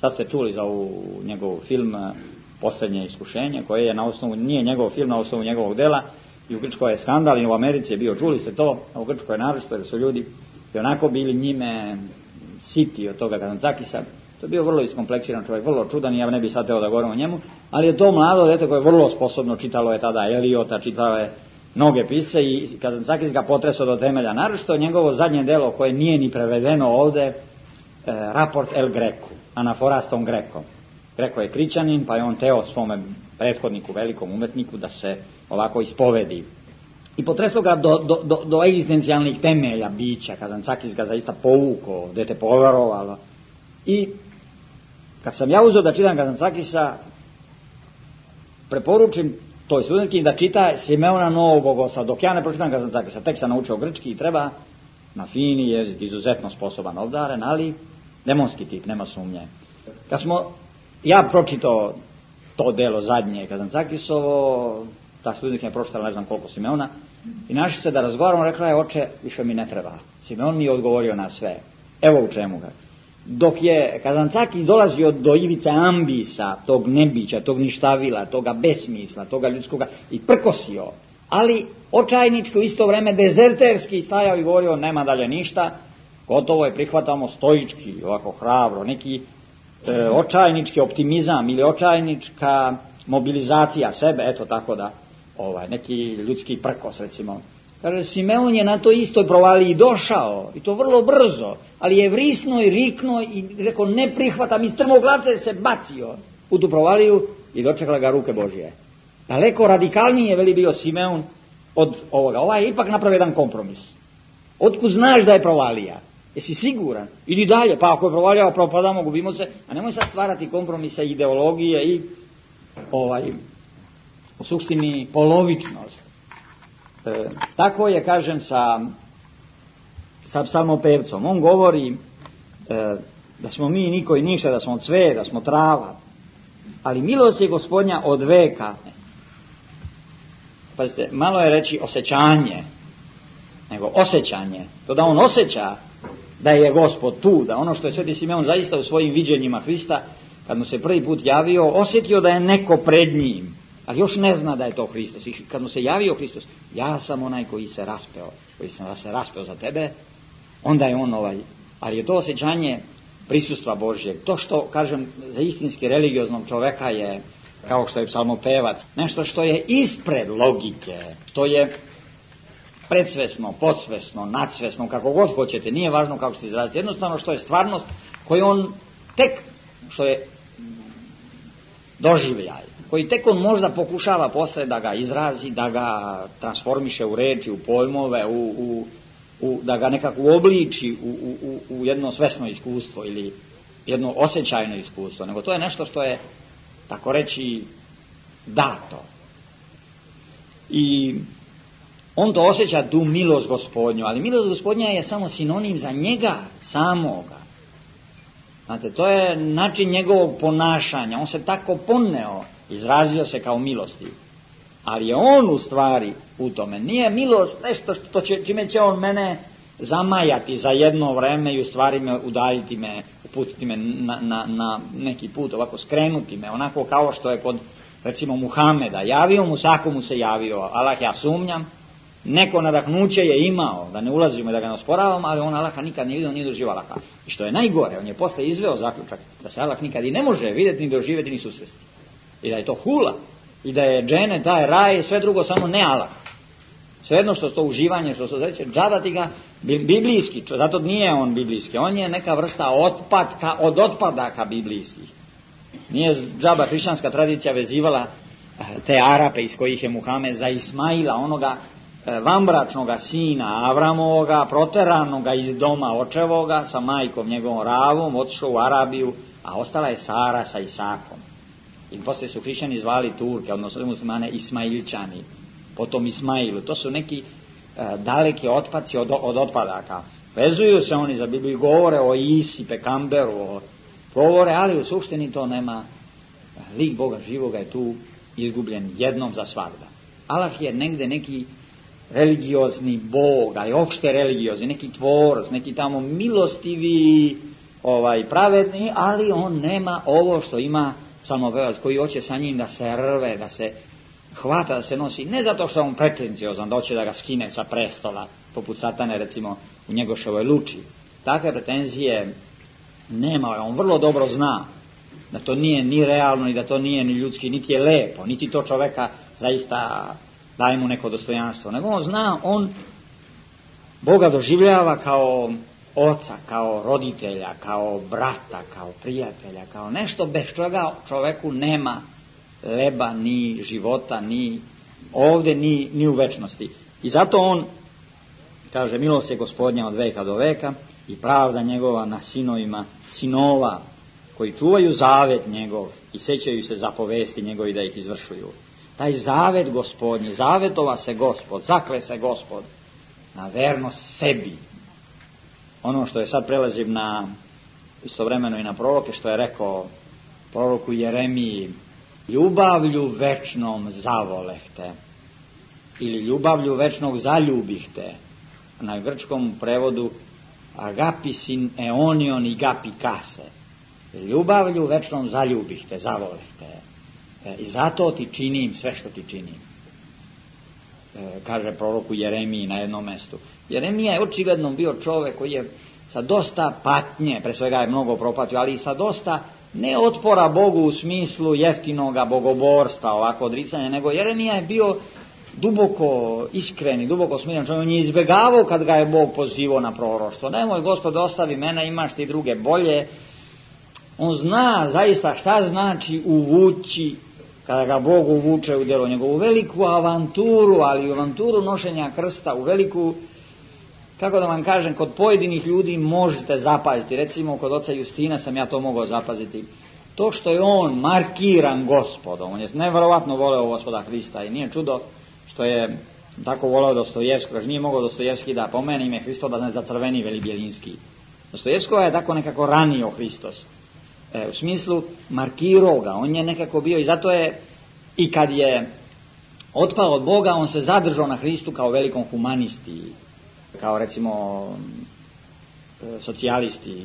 Sad ste čuli za njegov film Posljednje iskušenje, koje je na osnovu, nije njegov film, na osnovu njegovog dela, i u Grčkoj je skandal, i u Americi je bio, čuli ste to, a u Grčkoj je naročito, jer su ljudi i onako bili njime siti od toga Kazancakisa. To je bio vrlo iskompleksiran čovjek, vrlo čudan, i ja ne bih sad teo da govorim o njemu, ali je to mlado dete koje je vrlo sposobno, čitalo je tada Eliota, čitalo je mnoge pisce, i Kazancakis ga potresao do temelja. Naročito njegovo zadnje delo, koje nije ni prevedeno ovde, Raport El Greku, Anaforas tom Grekom. Greko je krićanin, pa je on teo svome prethodniku, velikom umetniku, da se ovako ispovedi. I potresao ga do egzistencijalnih temelja bića. Kazancakis ga zaista povukao, dete poverovalo. I kad sam ja uzeo da čitam Kazancakisa, preporučim toj studentki da čita Simeona Novog Bogosa. Dok ja ne pročitam Kazancakisa, tek sam naučio grčki i treba na fini jezik, izuzetno sposoban, obdaren, ali demonski tip, nema sumnje. Kad smo ja pročitao to delo zadnje Kazancakisovo, ta studentkinja je pročitala ne znam koliko Simeona, i našli se da razgovaramo, rekla je, oče, više mi ne treba. Simeon mi je odgovorio na sve. Evo u čemu ga. Dok je Kazancakis dolazio do ivice ambisa, tog nebića, tog ništavila, toga besmisla, toga ljudskoga, i prkosio, ali očajnički u isto vreme dezerterski stajao i govorio, nema dalje ništa, gotovo je, prihvatamo stoički, ovako hrabro, neki očajnički optimizam ili očajnička mobilizacija sebe, eto tako da, neki ljudski prkos recimo. Kaže, Simeon je na to istoj provaliji došao, i to vrlo brzo, ali je vrisno i rikno i rekao, ne prihvatam, iz strmoglavce se bacio u tu provaliju i dočekala ga ruke Božije. Daleko radikalnije veli bio Simeon od ovoga. Ovaj je ipak napravio jedan kompromis. Otkud znaš da je provalija? Jesi siguran? Idi dalje, pa ako je provalija, propadamo, gubimo se, a nemoj sad stvarati kompromise, ideologije i u suštini polovičnost. Tako je, kažem, sa psalmopevcom. On govori da smo mi niko i ništa, da smo cvet, da smo trava, ali milost je Gospodnja od veka. Pazite, malo je reći osjećanje, nego osjećanje. To da on osjeća da je Gospod tu, da ono što je Sveti Simeon zaista u svojim viđenjima Hrista, kad mu se prvi put javio, osjetio da je neko pred njim, ali još ne zna da je to Hristos. I kad mu se javio Hristos, ja sam onaj koji se raspeo za tebe, onda je on ali je to osjećanje prisustva Božjeg. To što, kažem, za istinski religioznog čoveka je, kao što je psalmopevac, nešto što je ispred logike, što je predsvesno, podsvesno, nadsvesno, kako god hoćete, nije važno kako se izraziti, jednostavno što je stvarnost koju on tek, što je doživljaj, koji tek on možda pokušava posle da ga izrazi, da ga transformiše u reči, u pojmove, da ga nekako uobliči u jedno svesno iskustvo ili jedno osjećajno iskustvo, nego to je nešto što je, tako reći, dato. I on to osjeća, tu milost Gospodnju, ali milost Gospodnja je samo sinonim za njega samoga. Znate, to je način njegovog ponašanja, on se tako poneo izrazio se kao milostiv. Ali je on u stvari u tome. Nije milost nešto čime će on mene zamajati za jedno vreme i u stvari me udaljiti me, uputiti me na neki put, ovako skrenuti me, onako kao što je kod recimo Muhameda. Javio mu, svako mu se javio. Allah, ja sumnjam, neko nadahnuće je imao, da ne ulazimo i da ga ne osporavamo, ali on Allaha nikad nije vidio, nije doživio Allaha. I što je najgore, on je posle izveo zaključak da se Allah nikad i ne može vidjeti, ni doživjeti, ni susresti. I da je to hula, i da je džene, taj raj, sve drugo samo ne Allah. Svejedno što to uživanje, što se reče, džabati ga biblijski, zato nije on biblijski, on je neka vrsta otpadka od otpadaka biblijskih. Nije džaba hrišćanska tradicija vezivala te Arape iz kojih je Muhamed za Ismaila, onoga vanbračnoga sina Avramovoga, proteranoga iz doma očevoga, sa majkom njegovom Ravom, otišao u Arabiju, a ostala je Sara sa Isakom. I poslije su hrišćani zvali Turke, odnosno muslimane Ismailčani, potom Ismailu. To su neki daleki otpaci od otpadaka. Vezuju se oni za Bibliju, govore o Isi, Pekamberu, govore, ali u suštini to nema. Lik Boga živoga je tu izgubljen jednom za svagda. Allah je negde neki religiozni Bog, ali opšte religiozni, neki tvorac, neki tamo milostivi, pravedni, ali on nema ovo što ima psalmopevac koji hoće sa njim da se rve, da se hvata, da se nosi, ne zato što je on pretenciozan, da hoće da ga skine sa prestola, poput Satane recimo u Njegoševoj Luči. Takve pretenzije nema, on vrlo dobro zna da to nije ni realno, ni da to nije ni ljudski, niti je lepo, niti to čoveka zaista daje mu neko dostojanstvo, nego on zna, on Boga doživljava kao oca, kao roditelja, kao brata, kao prijatelja, kao nešto bez čega čoveku nema leba, ni života, ni ovdje, ni u večnosti. I zato on kaže, milost je Gospodnja od veka do veka i pravda njegova na sinovima sinova koji čuvaju zavet njegov i sećaju se zapovesti njegovi da ih izvršuju. Taj zavet Gospodnji, zavetova se Gospod, zakle se Gospod na vernost sebi. Ono što je sad prelazim na istovremeno i na proroke, što je rekao proroku Jeremiji, ljubavlju večnom zavolehte ili ljubavlju večnog zaljubihte. Na grčkom prevodu agapisin eonion i gapi kase. Ljubavlju večnom zaljubihte, zavolehte. I zato ti činim sve što ti činim. Kaže proroku Jeremiji na jednom mestu. Jeremija je očigledno bio čovjek koji je sa dosta patnje, pre svega je mnogo propatio, ali i sa dosta ne otpora Bogu u smislu jeftinoga bogoborstva, ovako odricanja, nego Jeremija je bio duboko iskren i duboko smiren čovjek. On je izbjegavao kad ga je Bog pozivao na proroštvo. Nemoj Gospod, ostavi mene, imaš ti druge bolje. On zna zaista šta znači uvući, kada ga Bog uvuče u djelo njegovu veliku avanturu, ali u avanturu nošenja krsta, u veliku, kako da vam kažem, kod pojedinih ljudi možete zapaziti. Recimo kod oca Justina sam ja to mogao zapaziti. To što je on markiran Gospodom, on je nevjerovatno voleo Gospoda Hrista i nije čudo što je tako voleo Dostojevskog, jer nije mogao Dostojevski da pomene ime Hristo da ne zacrveni Veli Bjelinski. Dostojevskog je tako nekako ranio Hristos. U smislu markirao ga, on je nekako bio i zato je, i kad je otpao od Boga, on se zadržao na Hristu kao velikom humanisti, kao recimo socijalisti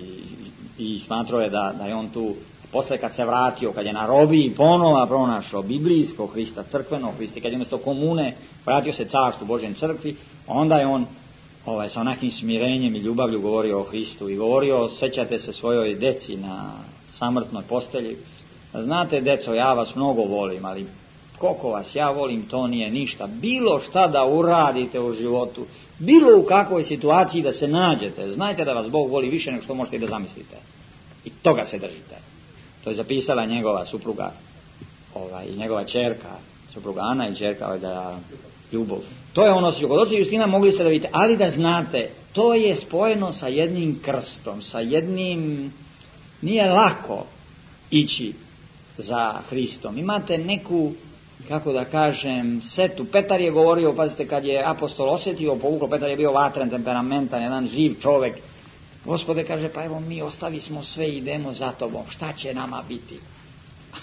i smatrao je da je on tu, posle kad se vratio, kad je na robiji ponova pronašao biblijskog Hrista, crkvenog Hrista, kad je umjesto komune vratio se carstvu Božjem crkvi, onda je on sa onakim smirenjem i ljubavlju govorio o Hristu i govorio, sećate se svojoj deci na samrtnoj postelji. Znate, deco, ja vas mnogo volim, ali koliko vas ja volim, to nije ništa. Bilo šta da uradite u životu, bilo u kakvoj situaciji da se nađete, znajte da vas Bog voli više nego što možete da zamislite. I toga se držite. To je zapisala njegova supruga i njegova ćerka, supruga Ana i ćerka da Ljubov. To je ono što kod oca Justina mogli ste da vidite, ali da znate, to je spojeno sa jednim krstom, sa jednim, nije lako ići za Hristom. Imate neku, kako da kažem, setu. Petar je govorio, pazite, kad je apostol osjetio, povuklo, Petar je bio vatren, temperamentan, jedan živ čovjek. Gospode, kaže, pa evo mi ostavi smo sve i idemo za tobom, šta će nama biti?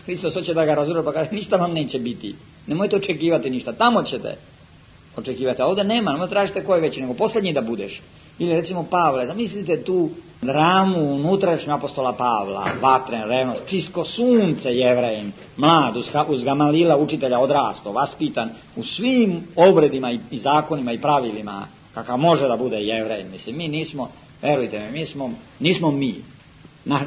Hristos hoće da ga razoruža, pa kaže ništa vam neće biti. Nemojte očekivati ništa, tamo ćete očekivati, a ovdje nema, nemoj tražite koji veći, nego posljednji da budeš. Ili recimo Pavle, zamislite tu dramu unutrašnju apostola Pavla, vatren, revnost, čisto sunce Jevrejin, mlad, uz Gamalila, učitelja, odrasto, vaspitan, u svim obredima i zakonima i pravilima, kakav može da bude Jevrejin. Mislim, mi nismo, verujte mi, nismo mi,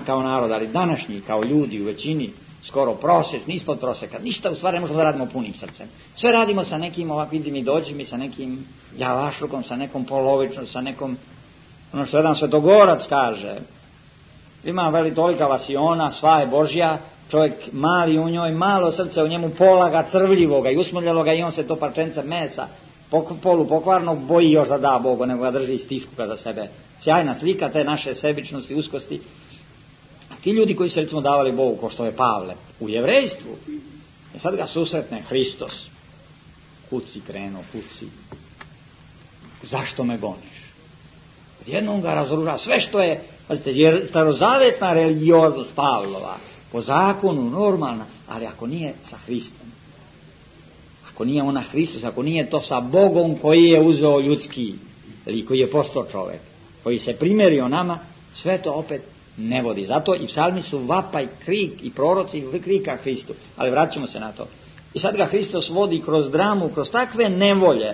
kao narod, ali današnji, kao ljudi u većini, skoro prosječni, ispod prosjeka, ništa u stvari ne možemo da radimo punim srcem. Sve radimo sa nekim, ovak vidim i dođi mi, sa nekim javašlukom, sa nekom polovičnom, sa nekom, ono što jedan svetogorac kaže, ima veli tolika vasiona, sva je Božja, čovjek mali u njoj, malo srce u njemu, pola ga crvljivoga i usmrljaloga i on se to parčence mesa, polu pokvarnog boji još da da Bogu, nego ga drži i stiskuka za sebe. Sjajna slika te naše sebičnosti, uskosti. Ti ljudi koji se recimo davali Bogu, ko što je Pavle, u jevrejstvu, i sad ga susretne Hristos, kuci krenuo, kuci, zašto me goniš? Jednom ga razoruža, sve što je, pazite, jer starozavetna religioznost Pavlova, po zakonu, normalna, ali ako nije sa Hristom, ako nije ona Hristos, ako nije to sa Bogom koji je uzeo ljudski, ili koji je postao čovjek, koji se primjerio nama, sve to opet ne vodi. Zato i psalmi su vapaj, krik i proroci krika Hristu. Ali vraćamo se na to. I sad ga Hristos vodi kroz dramu, kroz takve nevolje,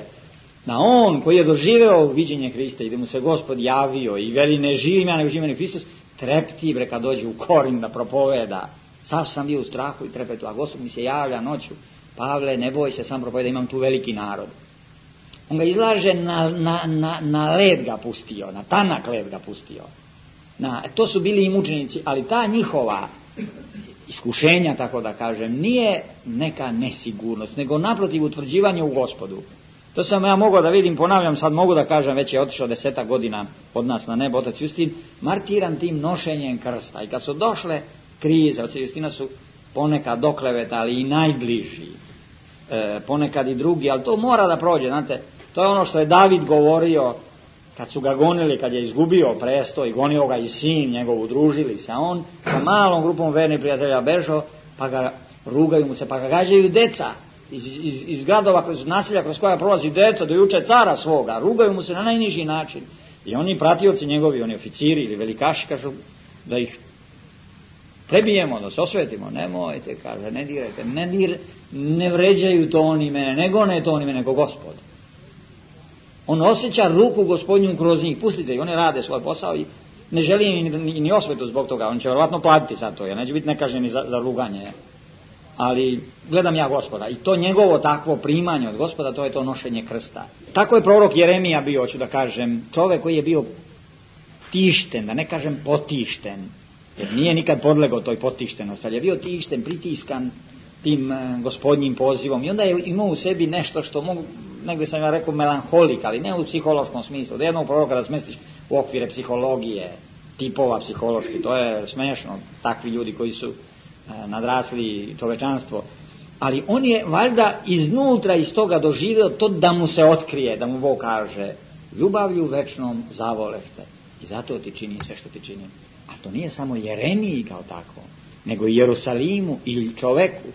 da on koji je doživeo viđenje Hrista i da mu se Gospod javio i veli ne živim ja nego živim Hristos, trepti bre kad dođe u Korin da propoveda. Sav sam bio u strahu i trepetu, a Gospod mi se javlja noću. Pavle, ne boj se, sam propoveda, imam tu veliki narod. On ga izlaže na led ga pustio, na tanak led ga pustio. To su bili i mučenici, ali ta njihova iskušenja, tako da kažem, nije neka nesigurnost, nego naprotiv utvrđivanje u Gospodu. To sam ja mogao da vidim, ponavljam, sad mogu da kažem, već je otišao 10 godina od nas na nebo, otac Justin, martiran tim nošenjem krsta. I kad su došle krize, otac Justina su ponekad doklevetali i najbliži, ponekad i drugi, ali to mora da prođe, znate, to je ono što je David govorio, kad su ga gonili, kad je izgubio presto i gonio ga i sin njegov, udružili se, a on sa malom grupom vernih prijatelja bežao, pa ga rugaju mu se, pa ga gađaju deca iz gradova, kroz naselja kroz koja prolazi deca, do juče cara svoga, rugaju mu se na najniži način. I oni pratioci njegovi, oni oficiri ili velikaši, kažu da ih prebijemo, da se osvetimo. Nemojte, kaže, ne dirajte, ne vređaju to oni mene, nego ne to oni mene, nego Gospod. On osjeća ruku Gospodnju kroz njih, pustite, i oni rade svoj posao i ne želi ni osvetu zbog toga, on će vjerovatno platiti za to, jer neće biti nekažnjeni za ruganje. Ali gledam ja Gospoda i to njegovo takvo primanje od Gospoda, to je to nošenje krsta. Tako je prorok Jeremija bio, hoću da kažem, čovjek koji je bio tišten, da ne kažem potišten, jer nije nikad podlegao toj potištenosti, ali je bio tišten, pritiskan tim Gospodnjim pozivom i onda je imao u sebi nešto što mogu, negdje sam ja rekao melanholik, ali ne u psihološkom smislu, da jednog proroka da smestiš u okvire psihologije, tipova psihološki, to je smešno, takvi ljudi koji su nadrasli čovečanstvo, ali on je valjda iznutra iz toga doživio to da mu se otkrije, da mu Bog kaže ljubavlju večnom zavolefte i zato ti čini sve što ti čini. A to nije samo Jeremiji kao tako, nego i Jerusalimu ili čoveku.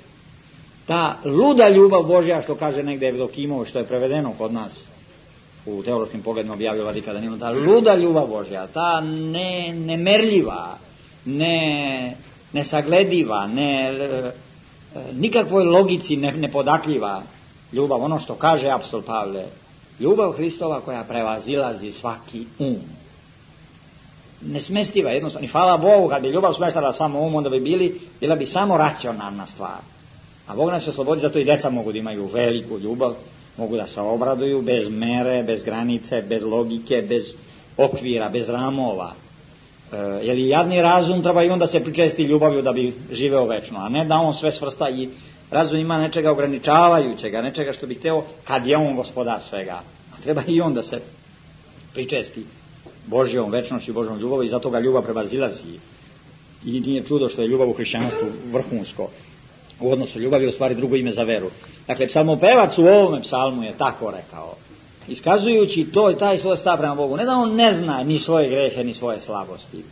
Ta luda ljubav Božja, što kaže negdje Evdokimovo, što je prevedeno kod nas u teološkim pogledima objavio Vladika Danilo, ta luda ljubav Božja, ta nemerljiva, nesaglediva, nikakvoj logici nepodakljiva ljubav, ono što kaže apostol Pavle, ljubav Hristova koja prevazilazi svaki nesmestiva jednostavno. I hvala Bogu, kad bi ljubav smeštala samo onda bi bila bi samo racionalna stvar. A Bog nas oslobodi, zato i deca mogu da imaju veliku ljubav, mogu da se obraduju bez mere, bez granice, bez logike, bez okvira, bez ramova. Jer i jadni razum treba i onda se pričesti ljubavlju da bi živeo večno, a ne da on sve svrsta i razum ima nečega ograničavajućega, nečega što bi hteo kad je on gospodar svega. A treba i on da se pričesti Božjom večnošću i Božjom ljubavom i zato ga ljubav prevazilazi. I nije čudo što je ljubav u hrišćanstvu vrhunsko. U odnosu ljubav je u stvari drugo ime za veru. Dakle, psalmopevac u ovome psalmu je tako rekao, iskazujući to i taj svoj stav prema Bogu. Ne da on ne zna ni svoje grehe, ni svoje slabosti,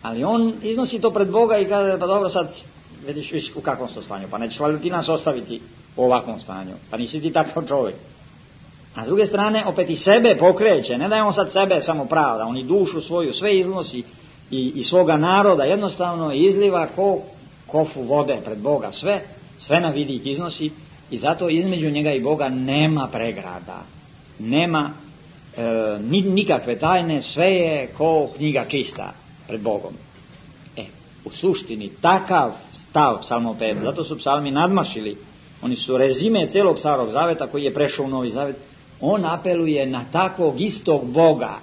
ali on iznosi to pred Boga i kaže, pa dobro, sad vidiš u kakvom su stanju, pa nećeš valjda ti nas ostaviti u ovakvom stanju, pa nisi ti takav čovjek. A s druge strane, opet i sebe pokreće, ne da je on sad sebe samo pravda, on i dušu svoju sve iznosi i svoga naroda jednostavno izliva ko kofu vode pred Boga, sve na vidik iznosi i zato između njega i Boga nema pregrada, nema nikakve tajne, sve je ko knjiga čista pred Bogom. U suštini takav stav psalmopevca, zato su psalmi nadmašili, oni su rezime celog Starog Zaveta koji je prešao u Novi Zavet. On apeluje na takvog istog Boga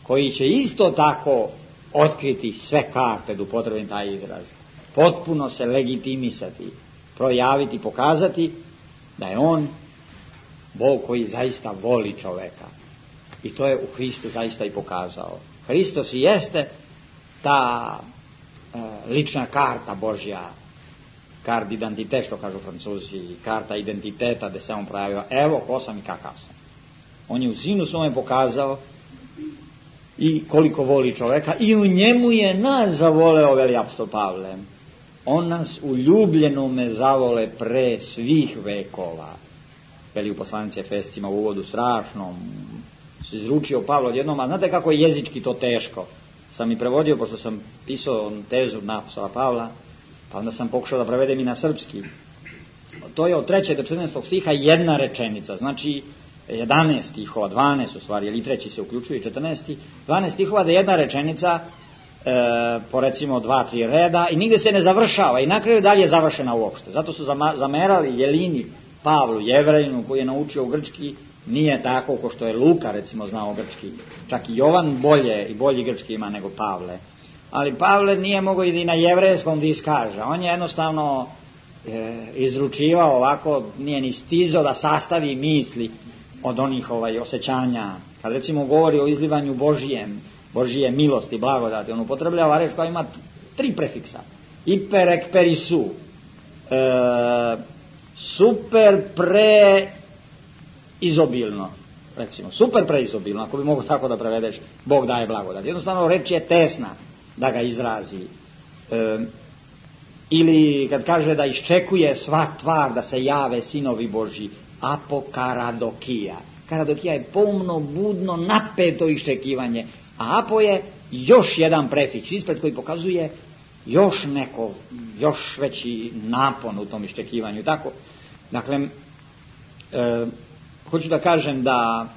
koji će isto tako otkriti sve karte, da upotrebim taj izraz, potpuno se legitimisati, projaviti, pokazati da je on Bog koji zaista voli čoveka. I to je u Hristu zaista i pokazao. Hristos i jeste ta lična karta Božja, kart identitet, što kažu Francuzi, karta identiteta gde se on projavio, evo ko sam i kakav sam. On je u sinu svome pokazao i koliko voli čoveka i u njemu je nas zavoleo, veli apostol Pavle. On nas u ljubljenome zavole pre svih vekova. Veli u poslanici Efescima u uvodu strašnom se izručio Pavlo odjednom, a znate kako je jezički to teško. Sam i prevodio, pošto sam pisao tezu na apostola Pavla, pa onda sam pokušao da prevedem i na srpski. To je od 3. do 14. stiha jedna rečenica, znači 11 stihova, 12 u stvari, ili 3. se uključuje, 14. 12 stihova da je jedna rečenica po recimo 2-3 reda i nigde se ne završava i na kraju dalje je završena uopšte. Zato su zamerali Jelini Pavlu, Jevrejinu, koji je naučio u grčki, nije tako ko što je Luka recimo znao grčki. Čak i Jovan bolji grčki ima nego Pavle. Ali Pavle nije mogao i na jevrejskom da iskaže. On je jednostavno izručivao ovako, nije ni stizao da sastavi misli od onih osjećanja. Kad recimo govori o izlivanju Božije milosti, blagodati, on upotrebljava reč koja ima 3 prefiksa. Iper, ek, per i su. Super preizobilno, recimo, super preizobilno, ako bi mogo tako da prevedeš, Bog daje blagodat. Jednostavno reč je tesna da ga izrazi. Ili kad kaže da iščekuje sva tvar da se jave sinovi Božji, apokaradokija. Karadokija je pomno, budno, napeto iščekivanje, a apo je još jedan prefiks ispred koji pokazuje još veći napon u tom iščekivanju. Tako, dakle, hoću da kažem da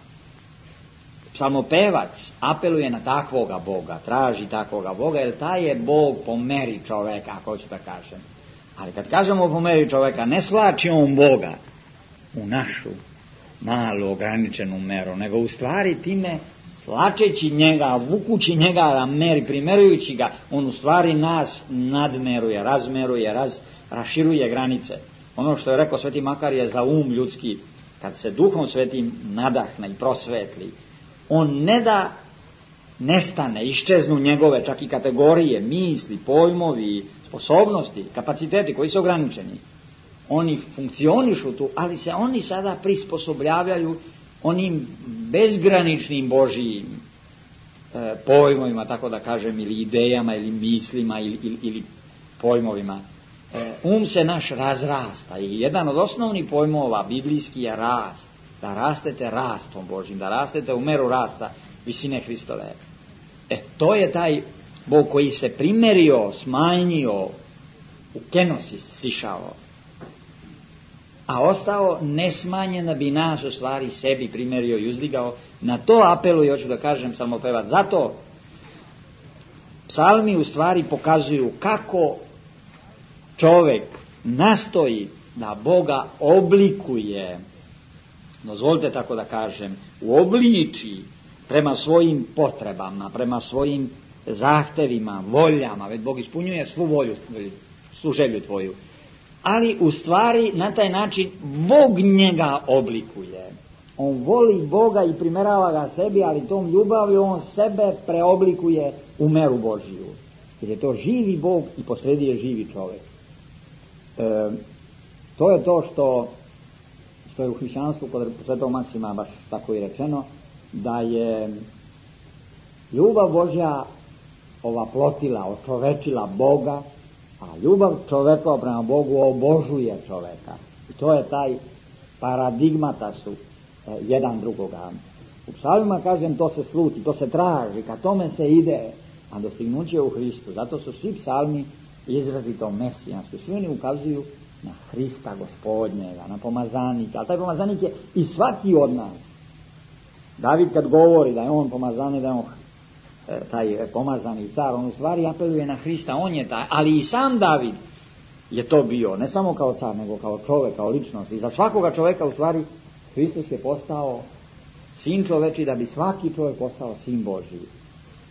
psalmopevac apeluje na takvoga Boga, traži takvoga Boga, jer taj je Bog po meri čoveka, ako hoću da kažem. Ali kad kažemo po meri čoveka, ne slači on Boga u našu malu ograničenu meru, nego u stvari time slačeći njega, vukući njega na meri, primerujući ga, on u stvari nas nadmeruje, razmeruje, raširuje granice. Ono što je rekao Sveti Makarije za um ljudski, kad se Duhom Svetim nadahne i prosvetli, on ne da nestane, iščeznu njegove čak i kategorije, misli, pojmovi, sposobnosti, kapaciteti koji su ograničeni. Oni funkcionišu tu, ali se oni sada prisposobljavaju onim bezgraničnim Božijim pojmovima, tako da kažem, ili idejama, ili mislima, ili pojmovima. Um se naš razrasta i jedan od osnovnih pojmova biblijski je rast, da rastete rastom Božjim, da rastete u meru rasta visine Hristove. To je taj Bog koji se primerio, smanjio, u kenos sišao, a ostao nesmanjen da bi nas u stvari sebi primerio i uzdigao. Na to apeluje, hoću da kažem, psalmopevac. Zato psalmi u stvari pokazuju kako čovek nastoji da Boga oblikuje, dozvolite tako da kažem, uobliči prema svojim potrebama, prema svojim zahtevima, voljama, već Bog ispunjuje svu volju, svu želju tvoju. Ali u stvari na taj način Bog njega oblikuje. On voli Boga i primerava ga sebi, ali tom ljubavlju on sebe preoblikuje u meru Božiju. Jer je to živi Bog i posredi je živi čovjek. To je to što je u hrišćanstvu kod Svetog Maksima baš tako i rečeno, da je ljubav Božja ovaplotila, očovečila Boga A ljubav čoveka prema Bogu obožuje čoveka. I to je taj paradigmata su jedan drugoga. U psalmima, kažem, to se sluti, to se traži, ka tome se ide, a dostignuće je u Hristu. Zato su svi psalmi izrazito mesijanski. Svi oni ukazuju na Hrista Gospodnjega, na pomazanika. Ali taj pomazanik je i svaki od nas. David kad govori da je on pomazanik, da je on taj pomazani car, on u stvari apeluje na Hrista, on je taj. Ali i sam David je to bio, ne samo kao car, nego kao čovjek, kao ličnost. I za svakoga čovjeka u stvari Hristos je postao sin čoveči, da bi svaki čovjek postao sin Božji,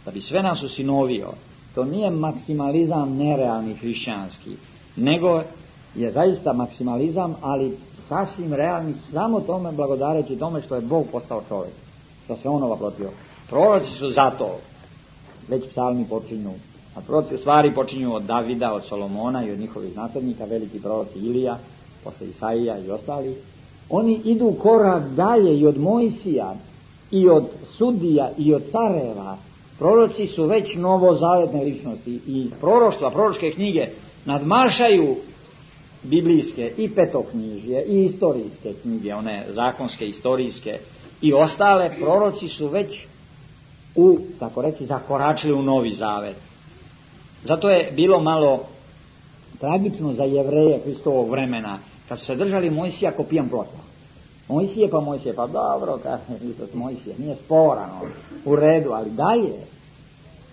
da bi sve nas usinovio. To nije maksimalizam nerealni hrišćanski, nego je zaista maksimalizam, ali sasvim realni, samo tome blagodareći tome što je Bog postao čovjek, što se on ovaprotio. Proroci su zato, već psalmi počinju, a proroci u stvari počinju od Davida, od Solomona i od njihovih naslednika, veliki proroci Ilija, posle Isaija i ostali. Oni idu korak dalje i od Mojsija, i od sudija, i od careva. Proroci su već novozavetne ličnosti i proroštva, proročke knjige nadmašaju biblijske i petoknjižje i istorijske knjige, one zakonske, istorijske i ostale. Proroci su već tako reći, zakoračili u Novi Zavet. Zato je bilo malo tragično za Jevreje Hristovog vremena, kad su se držali Mojsija ko pijan plota. Mojsije, pa dobro, kaže Hristos, Mojsije, nije sporano, u redu, ali dalje.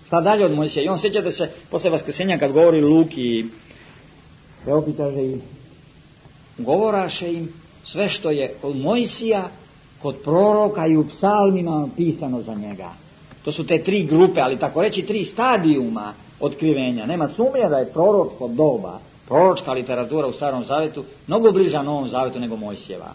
Šta dalje od Mojsija? I on, sjećate se, posle Vaskrsenja kad govori Luki, preopitaže im, govoraše im sve što je kod Mojsija, kod proroka i u psalmima pisano za njega. To su te tri grupe, ali tako reći tri stadijuma otkrivenja. Nema sumnje da je proročko doba, proročka literatura u Starom Zavetu mnogo bliža Novom Zavetu nego Mojsijeva.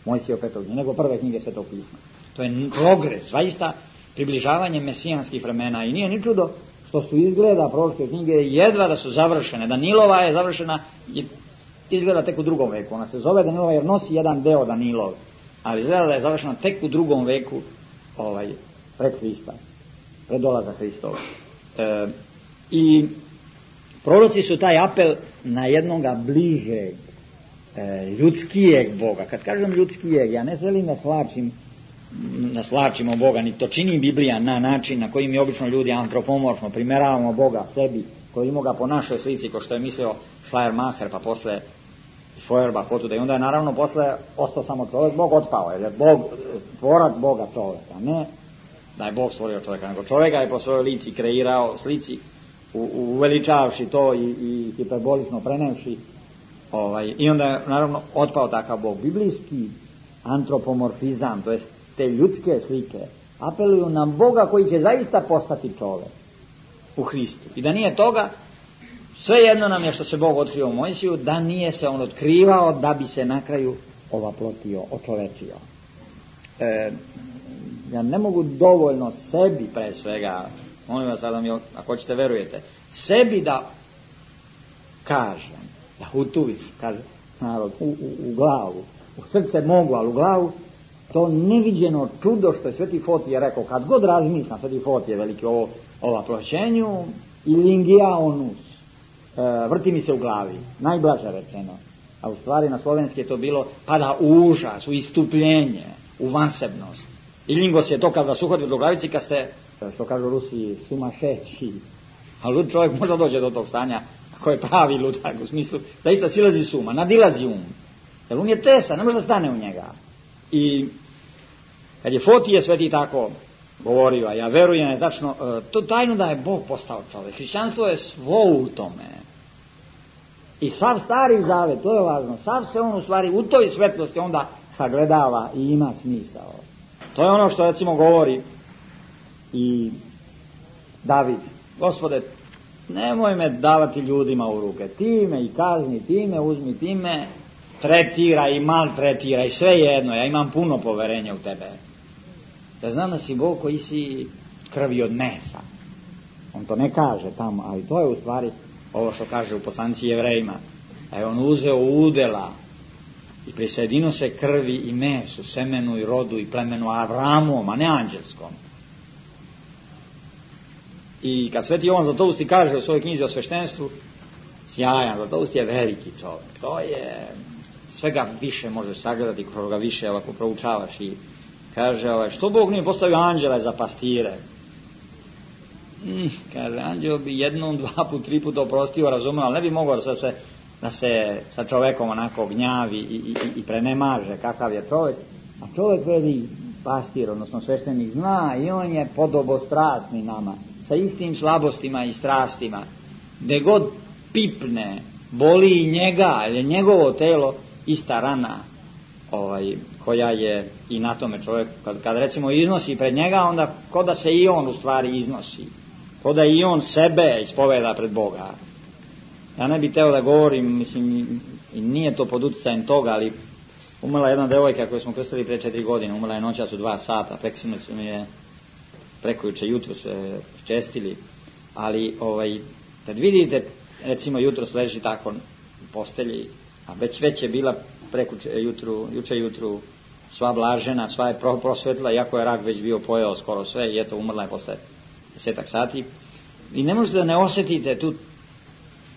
Mojsijev petog, nego prve knjige Svetog pisma. To je progres, zaista približavanje mesijanskih vremena. I nije ni čudo što su izgleda proročke knjige jedva da su završene. Danilova je završena izgleda tek u 2. veku. Ona se zove Danilova jer nosi jedan deo Danilov, ali izgleda da je završena tek u 2. veku pred Hrista, pred dolaza Hristova. I proroci su taj apel na jednoga bližeg, ljudskijeg Boga. Kad kažem ljudskijeg, ja ne želim da slačimo Boga, ni to čini Biblija na način na koji mi obično ljudi antropomorfno primeravamo Boga sebi, koji ima ga po našoj slici, ko što je mislio Schleiermacher, pa posle Feuerbach, otuda. I onda je naravno posle ostao samo čovjek, Bog otpao, jer je Bog, tvorac Boga čovjeka, ne da je Bog stvorio čovjeka, nego čovjeka je po svojoj lici kreirao, slici, uveličavši to i hiperbolično prenevši. I onda je naravno otpao takav Bog. Biblijski antropomorfizam, to je te ljudske slike, apeluju na Boga koji će zaista postati čovjek u Hristu. I da nije toga, svejedno nam je što se Bog otkrio u Mojsiju, da nije se on otkrivao da bi se na kraju ovaplotio, očovečio. Ja ne mogu dovoljno sebi pre svega, molim vas da mi, ako ćete verujete, sebi da kažem, da utuviš, kaže narod, u glavu, u srce mogu, ali u glavu, to neviđeno čudo što je Sveti Fotije rekao, kad god razmišljam, Sveti Fotije veliki ova prošćenju, ilingia onus, vrti mi se u glavi, najblaže rečeno, a u stvari na slovenski je to bilo pada u užas, u istupljenje, u vansebnost. Ilingos je to kad vas uhvati do glavici, kad ste, što kažu Rusi, sumašeći, a lud čovjek možda dođe do tog stanja, ako je pravi ludak, u smislu da isto silazi suma, nadilazi um, jer um je tesan, ne može da stane u njega. I kad je Fotije Sveti tako govorio, a ja verujem je tačno, to tajno da je Bog postao čovjek. Hrišćanstvo je svo u tome. I sav Stari Zavet, to je važno, sav se on u stvari u toj svetlosti onda sagledava i ima smisao. To je ono što recimo govori i David, Gospode, nemoj me davati ljudima u ruke, ti me i kazni, ti me uzmi, ti me tretira i maltretira i sve jedno, ja imam puno poverenja u tebe. Ja znam da si Bog koji si krvi od mesa. On to ne kaže tamo, ali to je u stvari ovo što kaže u poslanici Jevrejima. Da je on uzeo udela i prisjedino se krvi i mesu, semenu i rodu i plemenu Avramovom, a ne anđelskom. I kad Sveti Jovan Zlatousti kaže u svojoj knjizi o sveštenstvu, sjajan, Zlatoust je veliki čovjek, to je, svega više možeš sagledati, kako ga više ovako proučavaš i kaže, što Bog nije postavio anđele za pastire? Kaže, anđeo bi jednom, 2 put, 3 puta oprostio, razumio, ali ne bi mogao da se sa čovekom onako gnjavi i prenemaže kakav je čovjek. A čovjek veli pastir, odnosno sveštenik, zna i on je podobostrasni nama, sa istim slabostima i strastima. Gde god pipne, boli i njega, jer je njegovo telo ista rana koja je i na tome čovjeku. Kad recimo iznosi pred njega, onda ko da se i on u stvari iznosi, ko da i on sebe ispoveda pred Boga. Ja ne bih teo da govorim, mislim, i nije to pod utjecajem toga, ali umrla jedna devojka koju smo krstili pre 4 godine, umrla je noćas u 2 sata, preksinoć su mi je prekojuče jutro se čestili, ali kad vidite, recimo jutros leži tako u postelji, a već je bila juče jutru sva blažena, sva je prosvetla, iako je rak već bio pojeo skoro sve i eto umrla je posle 10 sati. I ne možete da ne osjetite tu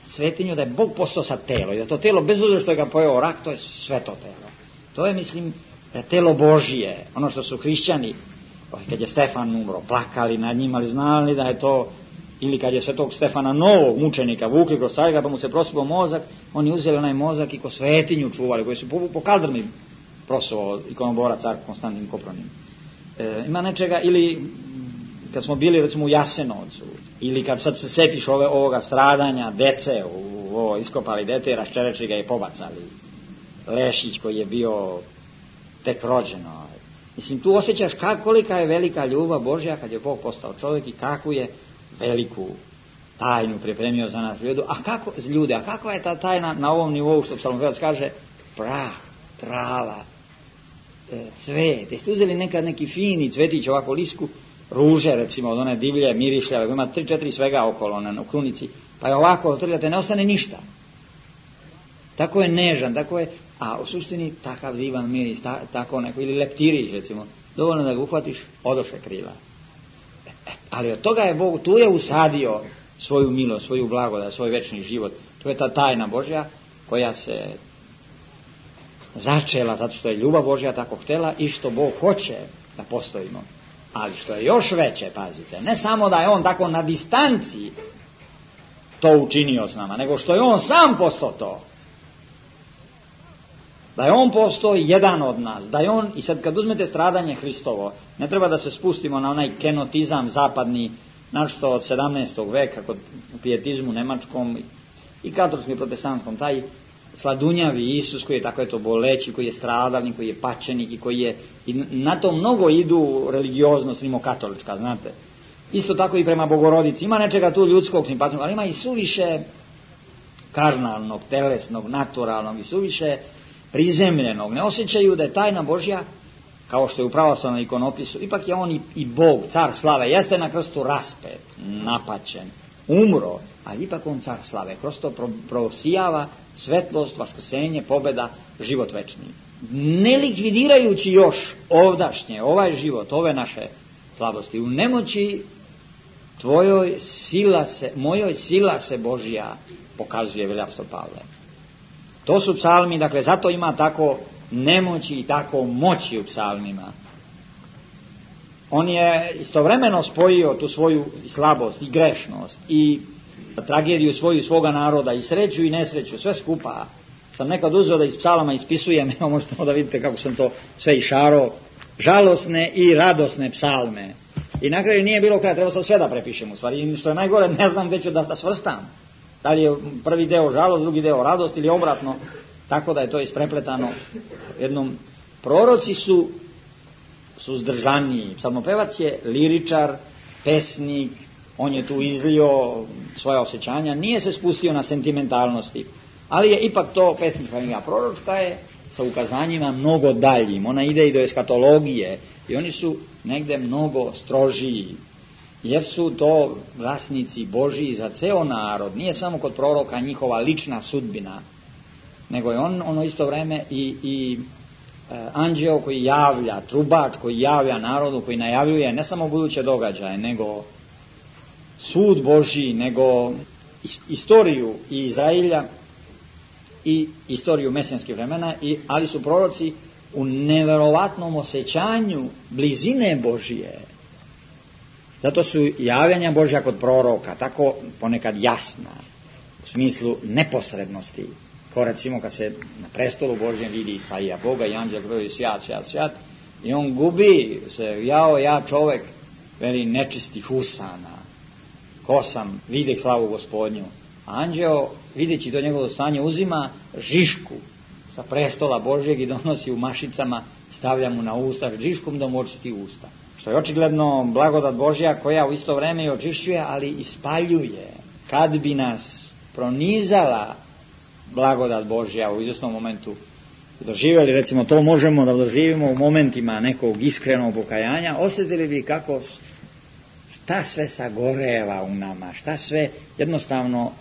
svetinju da je Bog postao sa telo i da to telo, bez obzira što je ga pojeo rak, to je sveto telo. To je, mislim, telo Božije, ono što su hrišćani, kad je Stefan umro, plakali nad njim, ali znali da je to, ili kad je svetog Stefana Novog mučenika vukli kroz Carigrad, pa mu se prosipao mozak, oni uzeli onaj mozak i ko svetinju čuvali, koji su po kaldrmi prosovao ikonobora car Konstantin Kopronim. Ima nečega, ili kad smo bili recimo u Jasenovcu, ili kad sad se setiš ovoga stradanja dece, iskopali dete, raščerečili ga i pobacali. Lešić koji je bio tek rođeno. Mislim, tu osjećaš kolika je velika ljubav Božja kad je Bog postao čovjek i kakvu je veliku tajnu pripremio za nas ljude. A kakva je ta tajna na ovom nivou, što psalmopevac kaže, prah, trava, cvet. Jeste uzeli nekad neki fini cvetić, ovako lisku, ruže recimo, od one divlje, mirišljave, ima 3-4 svega okolo na krunici, pa je ovako otrljate, ne ostane ništa. Tako je nežan, tako je, a u suštini takav divan miris, tako neko, ili leptirić recimo, dovoljno da ga uhvatiš, odoše krila. Ali od toga je Bog, tu je usadio svoju milost, svoju blagodat, svoj večni život. To je ta tajna Božja koja se začela zato što je ljubav Božja tako htjela i što Bog hoće da postojimo. Ali što je još veće, pazite, ne samo da je on tako na distanci to učinio s nama, nego što je on sam postao to. Da je on postao jedan od nas, da je on, i sad kad uzmete stradanje Hristovo, ne treba da se spustimo na onaj kenotizam zapadni, našto od 17. veka, kod pijetizmu nemačkom i katolskom i protestantskom, taj sladunjavi Isus koji je tako eto boleći, koji je stradalnik, koji je pačenik i koji je, i na to mnogo idu religioznost rimokatolička, znate. Isto tako i prema Bogorodici, ima nečega tu ljudskog simpatijnog, ali ima i suviše karnalnog, telesnog, naturalnog i suviše prizemljenog. Ne osjećaju da je tajna Božja, kao što je u pravoslavnom ikonopisu, ipak je on i Bog, car slave, jeste na krstu raspet, napaćen, umro, ali ipak on car slave, kroz to prosijava svetlost, vaskrsenje, pobjeda, život večni. Ne likvidirajući još ovdašnje, ovaj život, ove naše slabosti, u nemoći tvojoj mojoj sila se Božja pokazuje, veli apostol Pavle. To su psalmi, dakle, zato ima tako nemoći i tako moći u psalmima. On je istovremeno spojio tu svoju slabost i grešnost i tragediju svoga naroda i sreću i nesreću, sve skupa. Sam nekad uzeo da iz psalama ispisujem, evo možete da vidite kako sam to sve išarao, žalosne i radosne psalme. I na kraju nije bilo kraja, treba sam sve da prepišem u stvari. I što je najgore, ne znam gdje ću da svrstam. Da li je prvi deo žalost, drugi deo radost ili obratno, tako da je to isprepletano jednom. Proroci su suzdržaniji. Psalmopevac je liričar, pesnik, on je tu izlio svoja osjećanja, nije se spustio na sentimentalnosti, ali je ipak to pesnička knjiga. Proročka je sa ukazanjima mnogo daljim, ona ide i do eskatologije i oni su negde mnogo strožiji, jer su to glasnici Božji za ceo narod. Nije samo kod proroka njihova lična sudbina, nego je on ono isto vreme i anđeo koji javlja, trubač koji javlja narodu, koji najavljuje ne samo buduće događaje, nego sud Božji, nego istoriju i Izrailja i istoriju mesijanskih vremena, ali su proroci u neverovatnom osjećanju blizine Božije. Zato su javljanja Božja kod proroka tako ponekad jasna, u smislu neposrednosti. Kao recimo kad se na prestolu Božjem vidi Isaija Boga i anđel govori sjat, sjat, sjat, i on gubi se, ja čovek, veli nečistih usana, ko sam, videh slavu Gospodnju. A anđeo, videći to njegovo stanje, uzima žišku sa prestola Božjeg i donosi u mašicama, stavlja mu na usta, žiškom da mu očisti usta. Što je očigledno blagodat Božja koja u isto vreme i očišćuje, ali ispaljuje. Kad bi nas pronizala blagodat Božja u izvjesnom momentu doživjeli, recimo to možemo da doživimo u momentima nekog iskrenog pokajanja, osjetili bi kako šta sve sagoreva u nama, šta sve jednostavno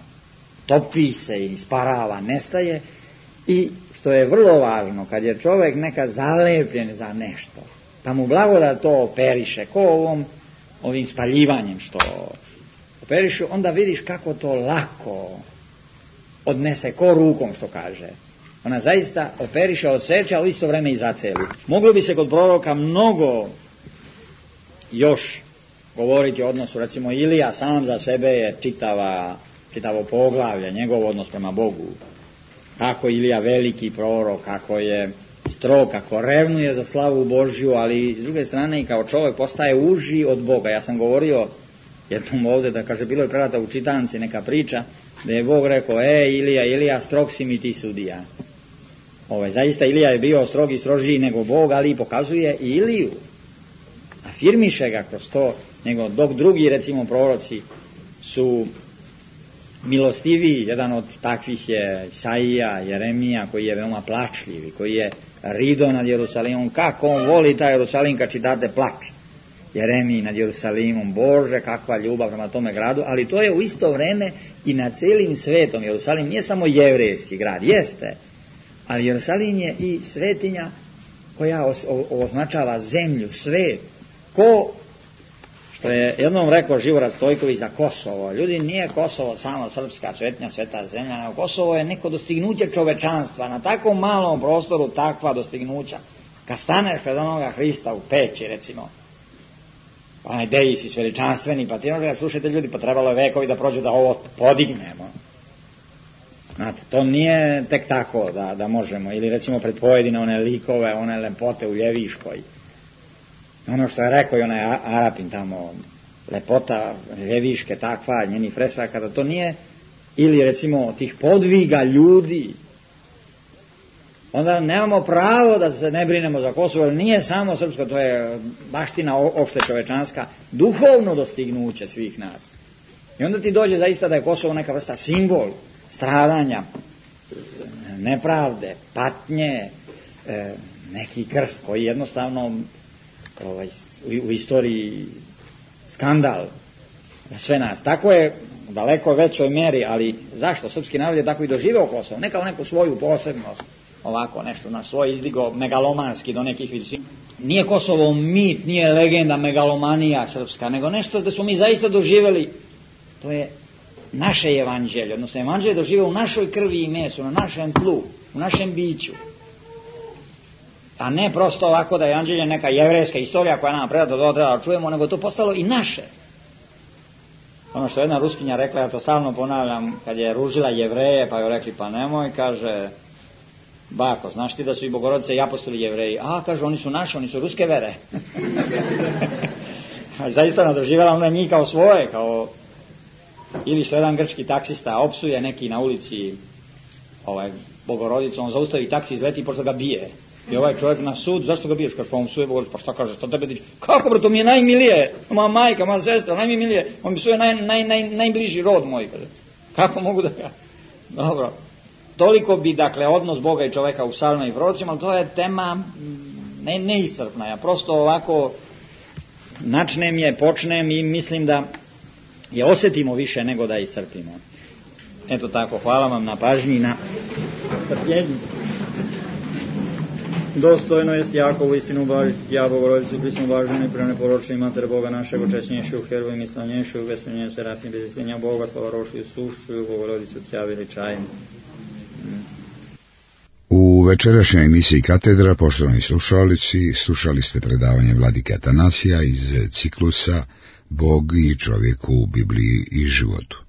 topi se i isparava, nestaje. I što je vrlo važno, kad je čovjek nekad zalepljen za nešto, pa mu blagodat to operiše, ko ovim spaljivanjem što operišu, onda vidiš kako to lako odnese, ko rukom što kaže. Ona zaista operiše, odseče, ali isto vreme i zaceli. Moglo bi se kod proroka mnogo još govoriti o odnosu, recimo Ilija sam za sebe je čitavo poglavlje, njegov odnos prema Bogu. Kako Ilija veliki prorok, kako je strog, kako revnuje za slavu Božju, ali s druge strane i kao čovjek postaje uži od Boga. Ja sam govorio jednom ovdje da kaže, bilo je predata u čitanci neka priča da je Bog rekao, Ilija, strog si mi ti sudija. Zaista Ilija je bio strog i strožiji nego Bog, ali pokazuje i Iliju. Afirmiše ga kroz to, dok drugi, recimo, proroci su milostiviji. Jedan od takvih je Isaija, Jeremija, koji je veoma plačljiv, koji je rido nad Jerusalimom. Kako on voli taj Jerusalim kad čitate plač. Jeremiji nad Jerusalimom, Bože, kakva ljubav prema tome gradu, ali to je u isto vreme i na celim svetom. Jerusalim nije samo jevrejski grad, jeste, ali Jerusalim je i svetinja koja označava zemlju, svet. Ko, što je jednom rekao Živorad Stojković za Kosovo, ljudi, nije Kosovo samo srpska svetinja, sveta zemlja, nego Kosovo je neko dostignuće čovečanstva, na takvom malom prostoru takva dostignuća. Kad staneš pred onoga Hrista u Peći, recimo, onaj Deisi veličanstveni, pa ti možete slušajte ljudi, pa trebalo je vekovi da prođu da ovo podignemo. Znate, to nije tek tako da možemo, ili recimo pred pojedine one likove, one lepote u Ljeviškoj. Ono što je rekao i onaj Arapin tamo, lepota Ljeviške takva, njeni fresaka, da to nije, ili recimo tih podviga ljudi, onda nemamo pravo da se ne brinemo za Kosovo, jer nije samo srpsko, to je baština opšte čovečanska, duhovno dostignuće svih nas. I onda ti dođe zaista da je Kosovo neka vrsta simbol stradanja, nepravde, patnje, neki krst koji jednostavno u istoriji skandal za sve nas. Tako je u daleko većoj mjeri, ali zašto? Srpski narod je tako i doživeo Kosovo, ne kao neku svoju posebnost, ovako nešto na svoj izdigo megalomanski do nekih visina. Nije Kosovo mit, nije legenda, megalomanija srpska, nego nešto da smo mi zaista doživjeli. To je naše evanđelje, odnosno evanđelje dožive u našoj krvi i mesu, na našem tlu, u našem biću. A ne prosto ovako da je evanđelje neka jevrejska istorija koja nam predata da čujemo, nego to postalo i naše. Ono što jedna Ruskinja rekla, ja to stalno ponavljam, kad je ružila Jevreje, pa joj rekli, pa nemoj, kaže, bako, znaš ti da su i Bogorodice i apostoli Jevreji? A, kaže, oni su naši, oni su ruske vere. Zaista ona doživjela onda njih kao svoje, kao... Ili što jedan grčki taksista opsuje neki na ulici Bogorodicu, on zaustavi taksi, izleti i počne ga bije. I ovaj čovjek na sud, zašto ga biješ? Kaže, pa on psuje Bogorodicu, pa šta kaže, šta tebe dići? Kako bro, to mi je najmilije, moja majka, moja sestra, najmilije, on mi psuje najbliži rod moj, kaže. Kako mogu da ga... Dobro, toliko bi, dakle, odnos Boga i čovjeka u psalmima i prorocima, ali to je tema neiscrpna. Ja prosto ovako načnem je, počnem i mislim da je osjetimo više nego da iscrpimo. Eto tako, hvala vam na pažnji i na strpljenju. Dostojno jest Jakovu istinu blažiti Tja, Bogorodicu, prisnu blaženu i preneporočni Mater Boga našeg, očesnjejšiju, herovu i slavnjejšiju, veseljenje serafim, bez istinja Boga, slavarošiju, sušću, Bogorodicu Tja veličajem. U večerašnjoj emisiji Katedra, poštovani slušalici, slušali ste predavanje vladike Atanasija iz ciklusa Bog i čovjek u Bibliji i životu.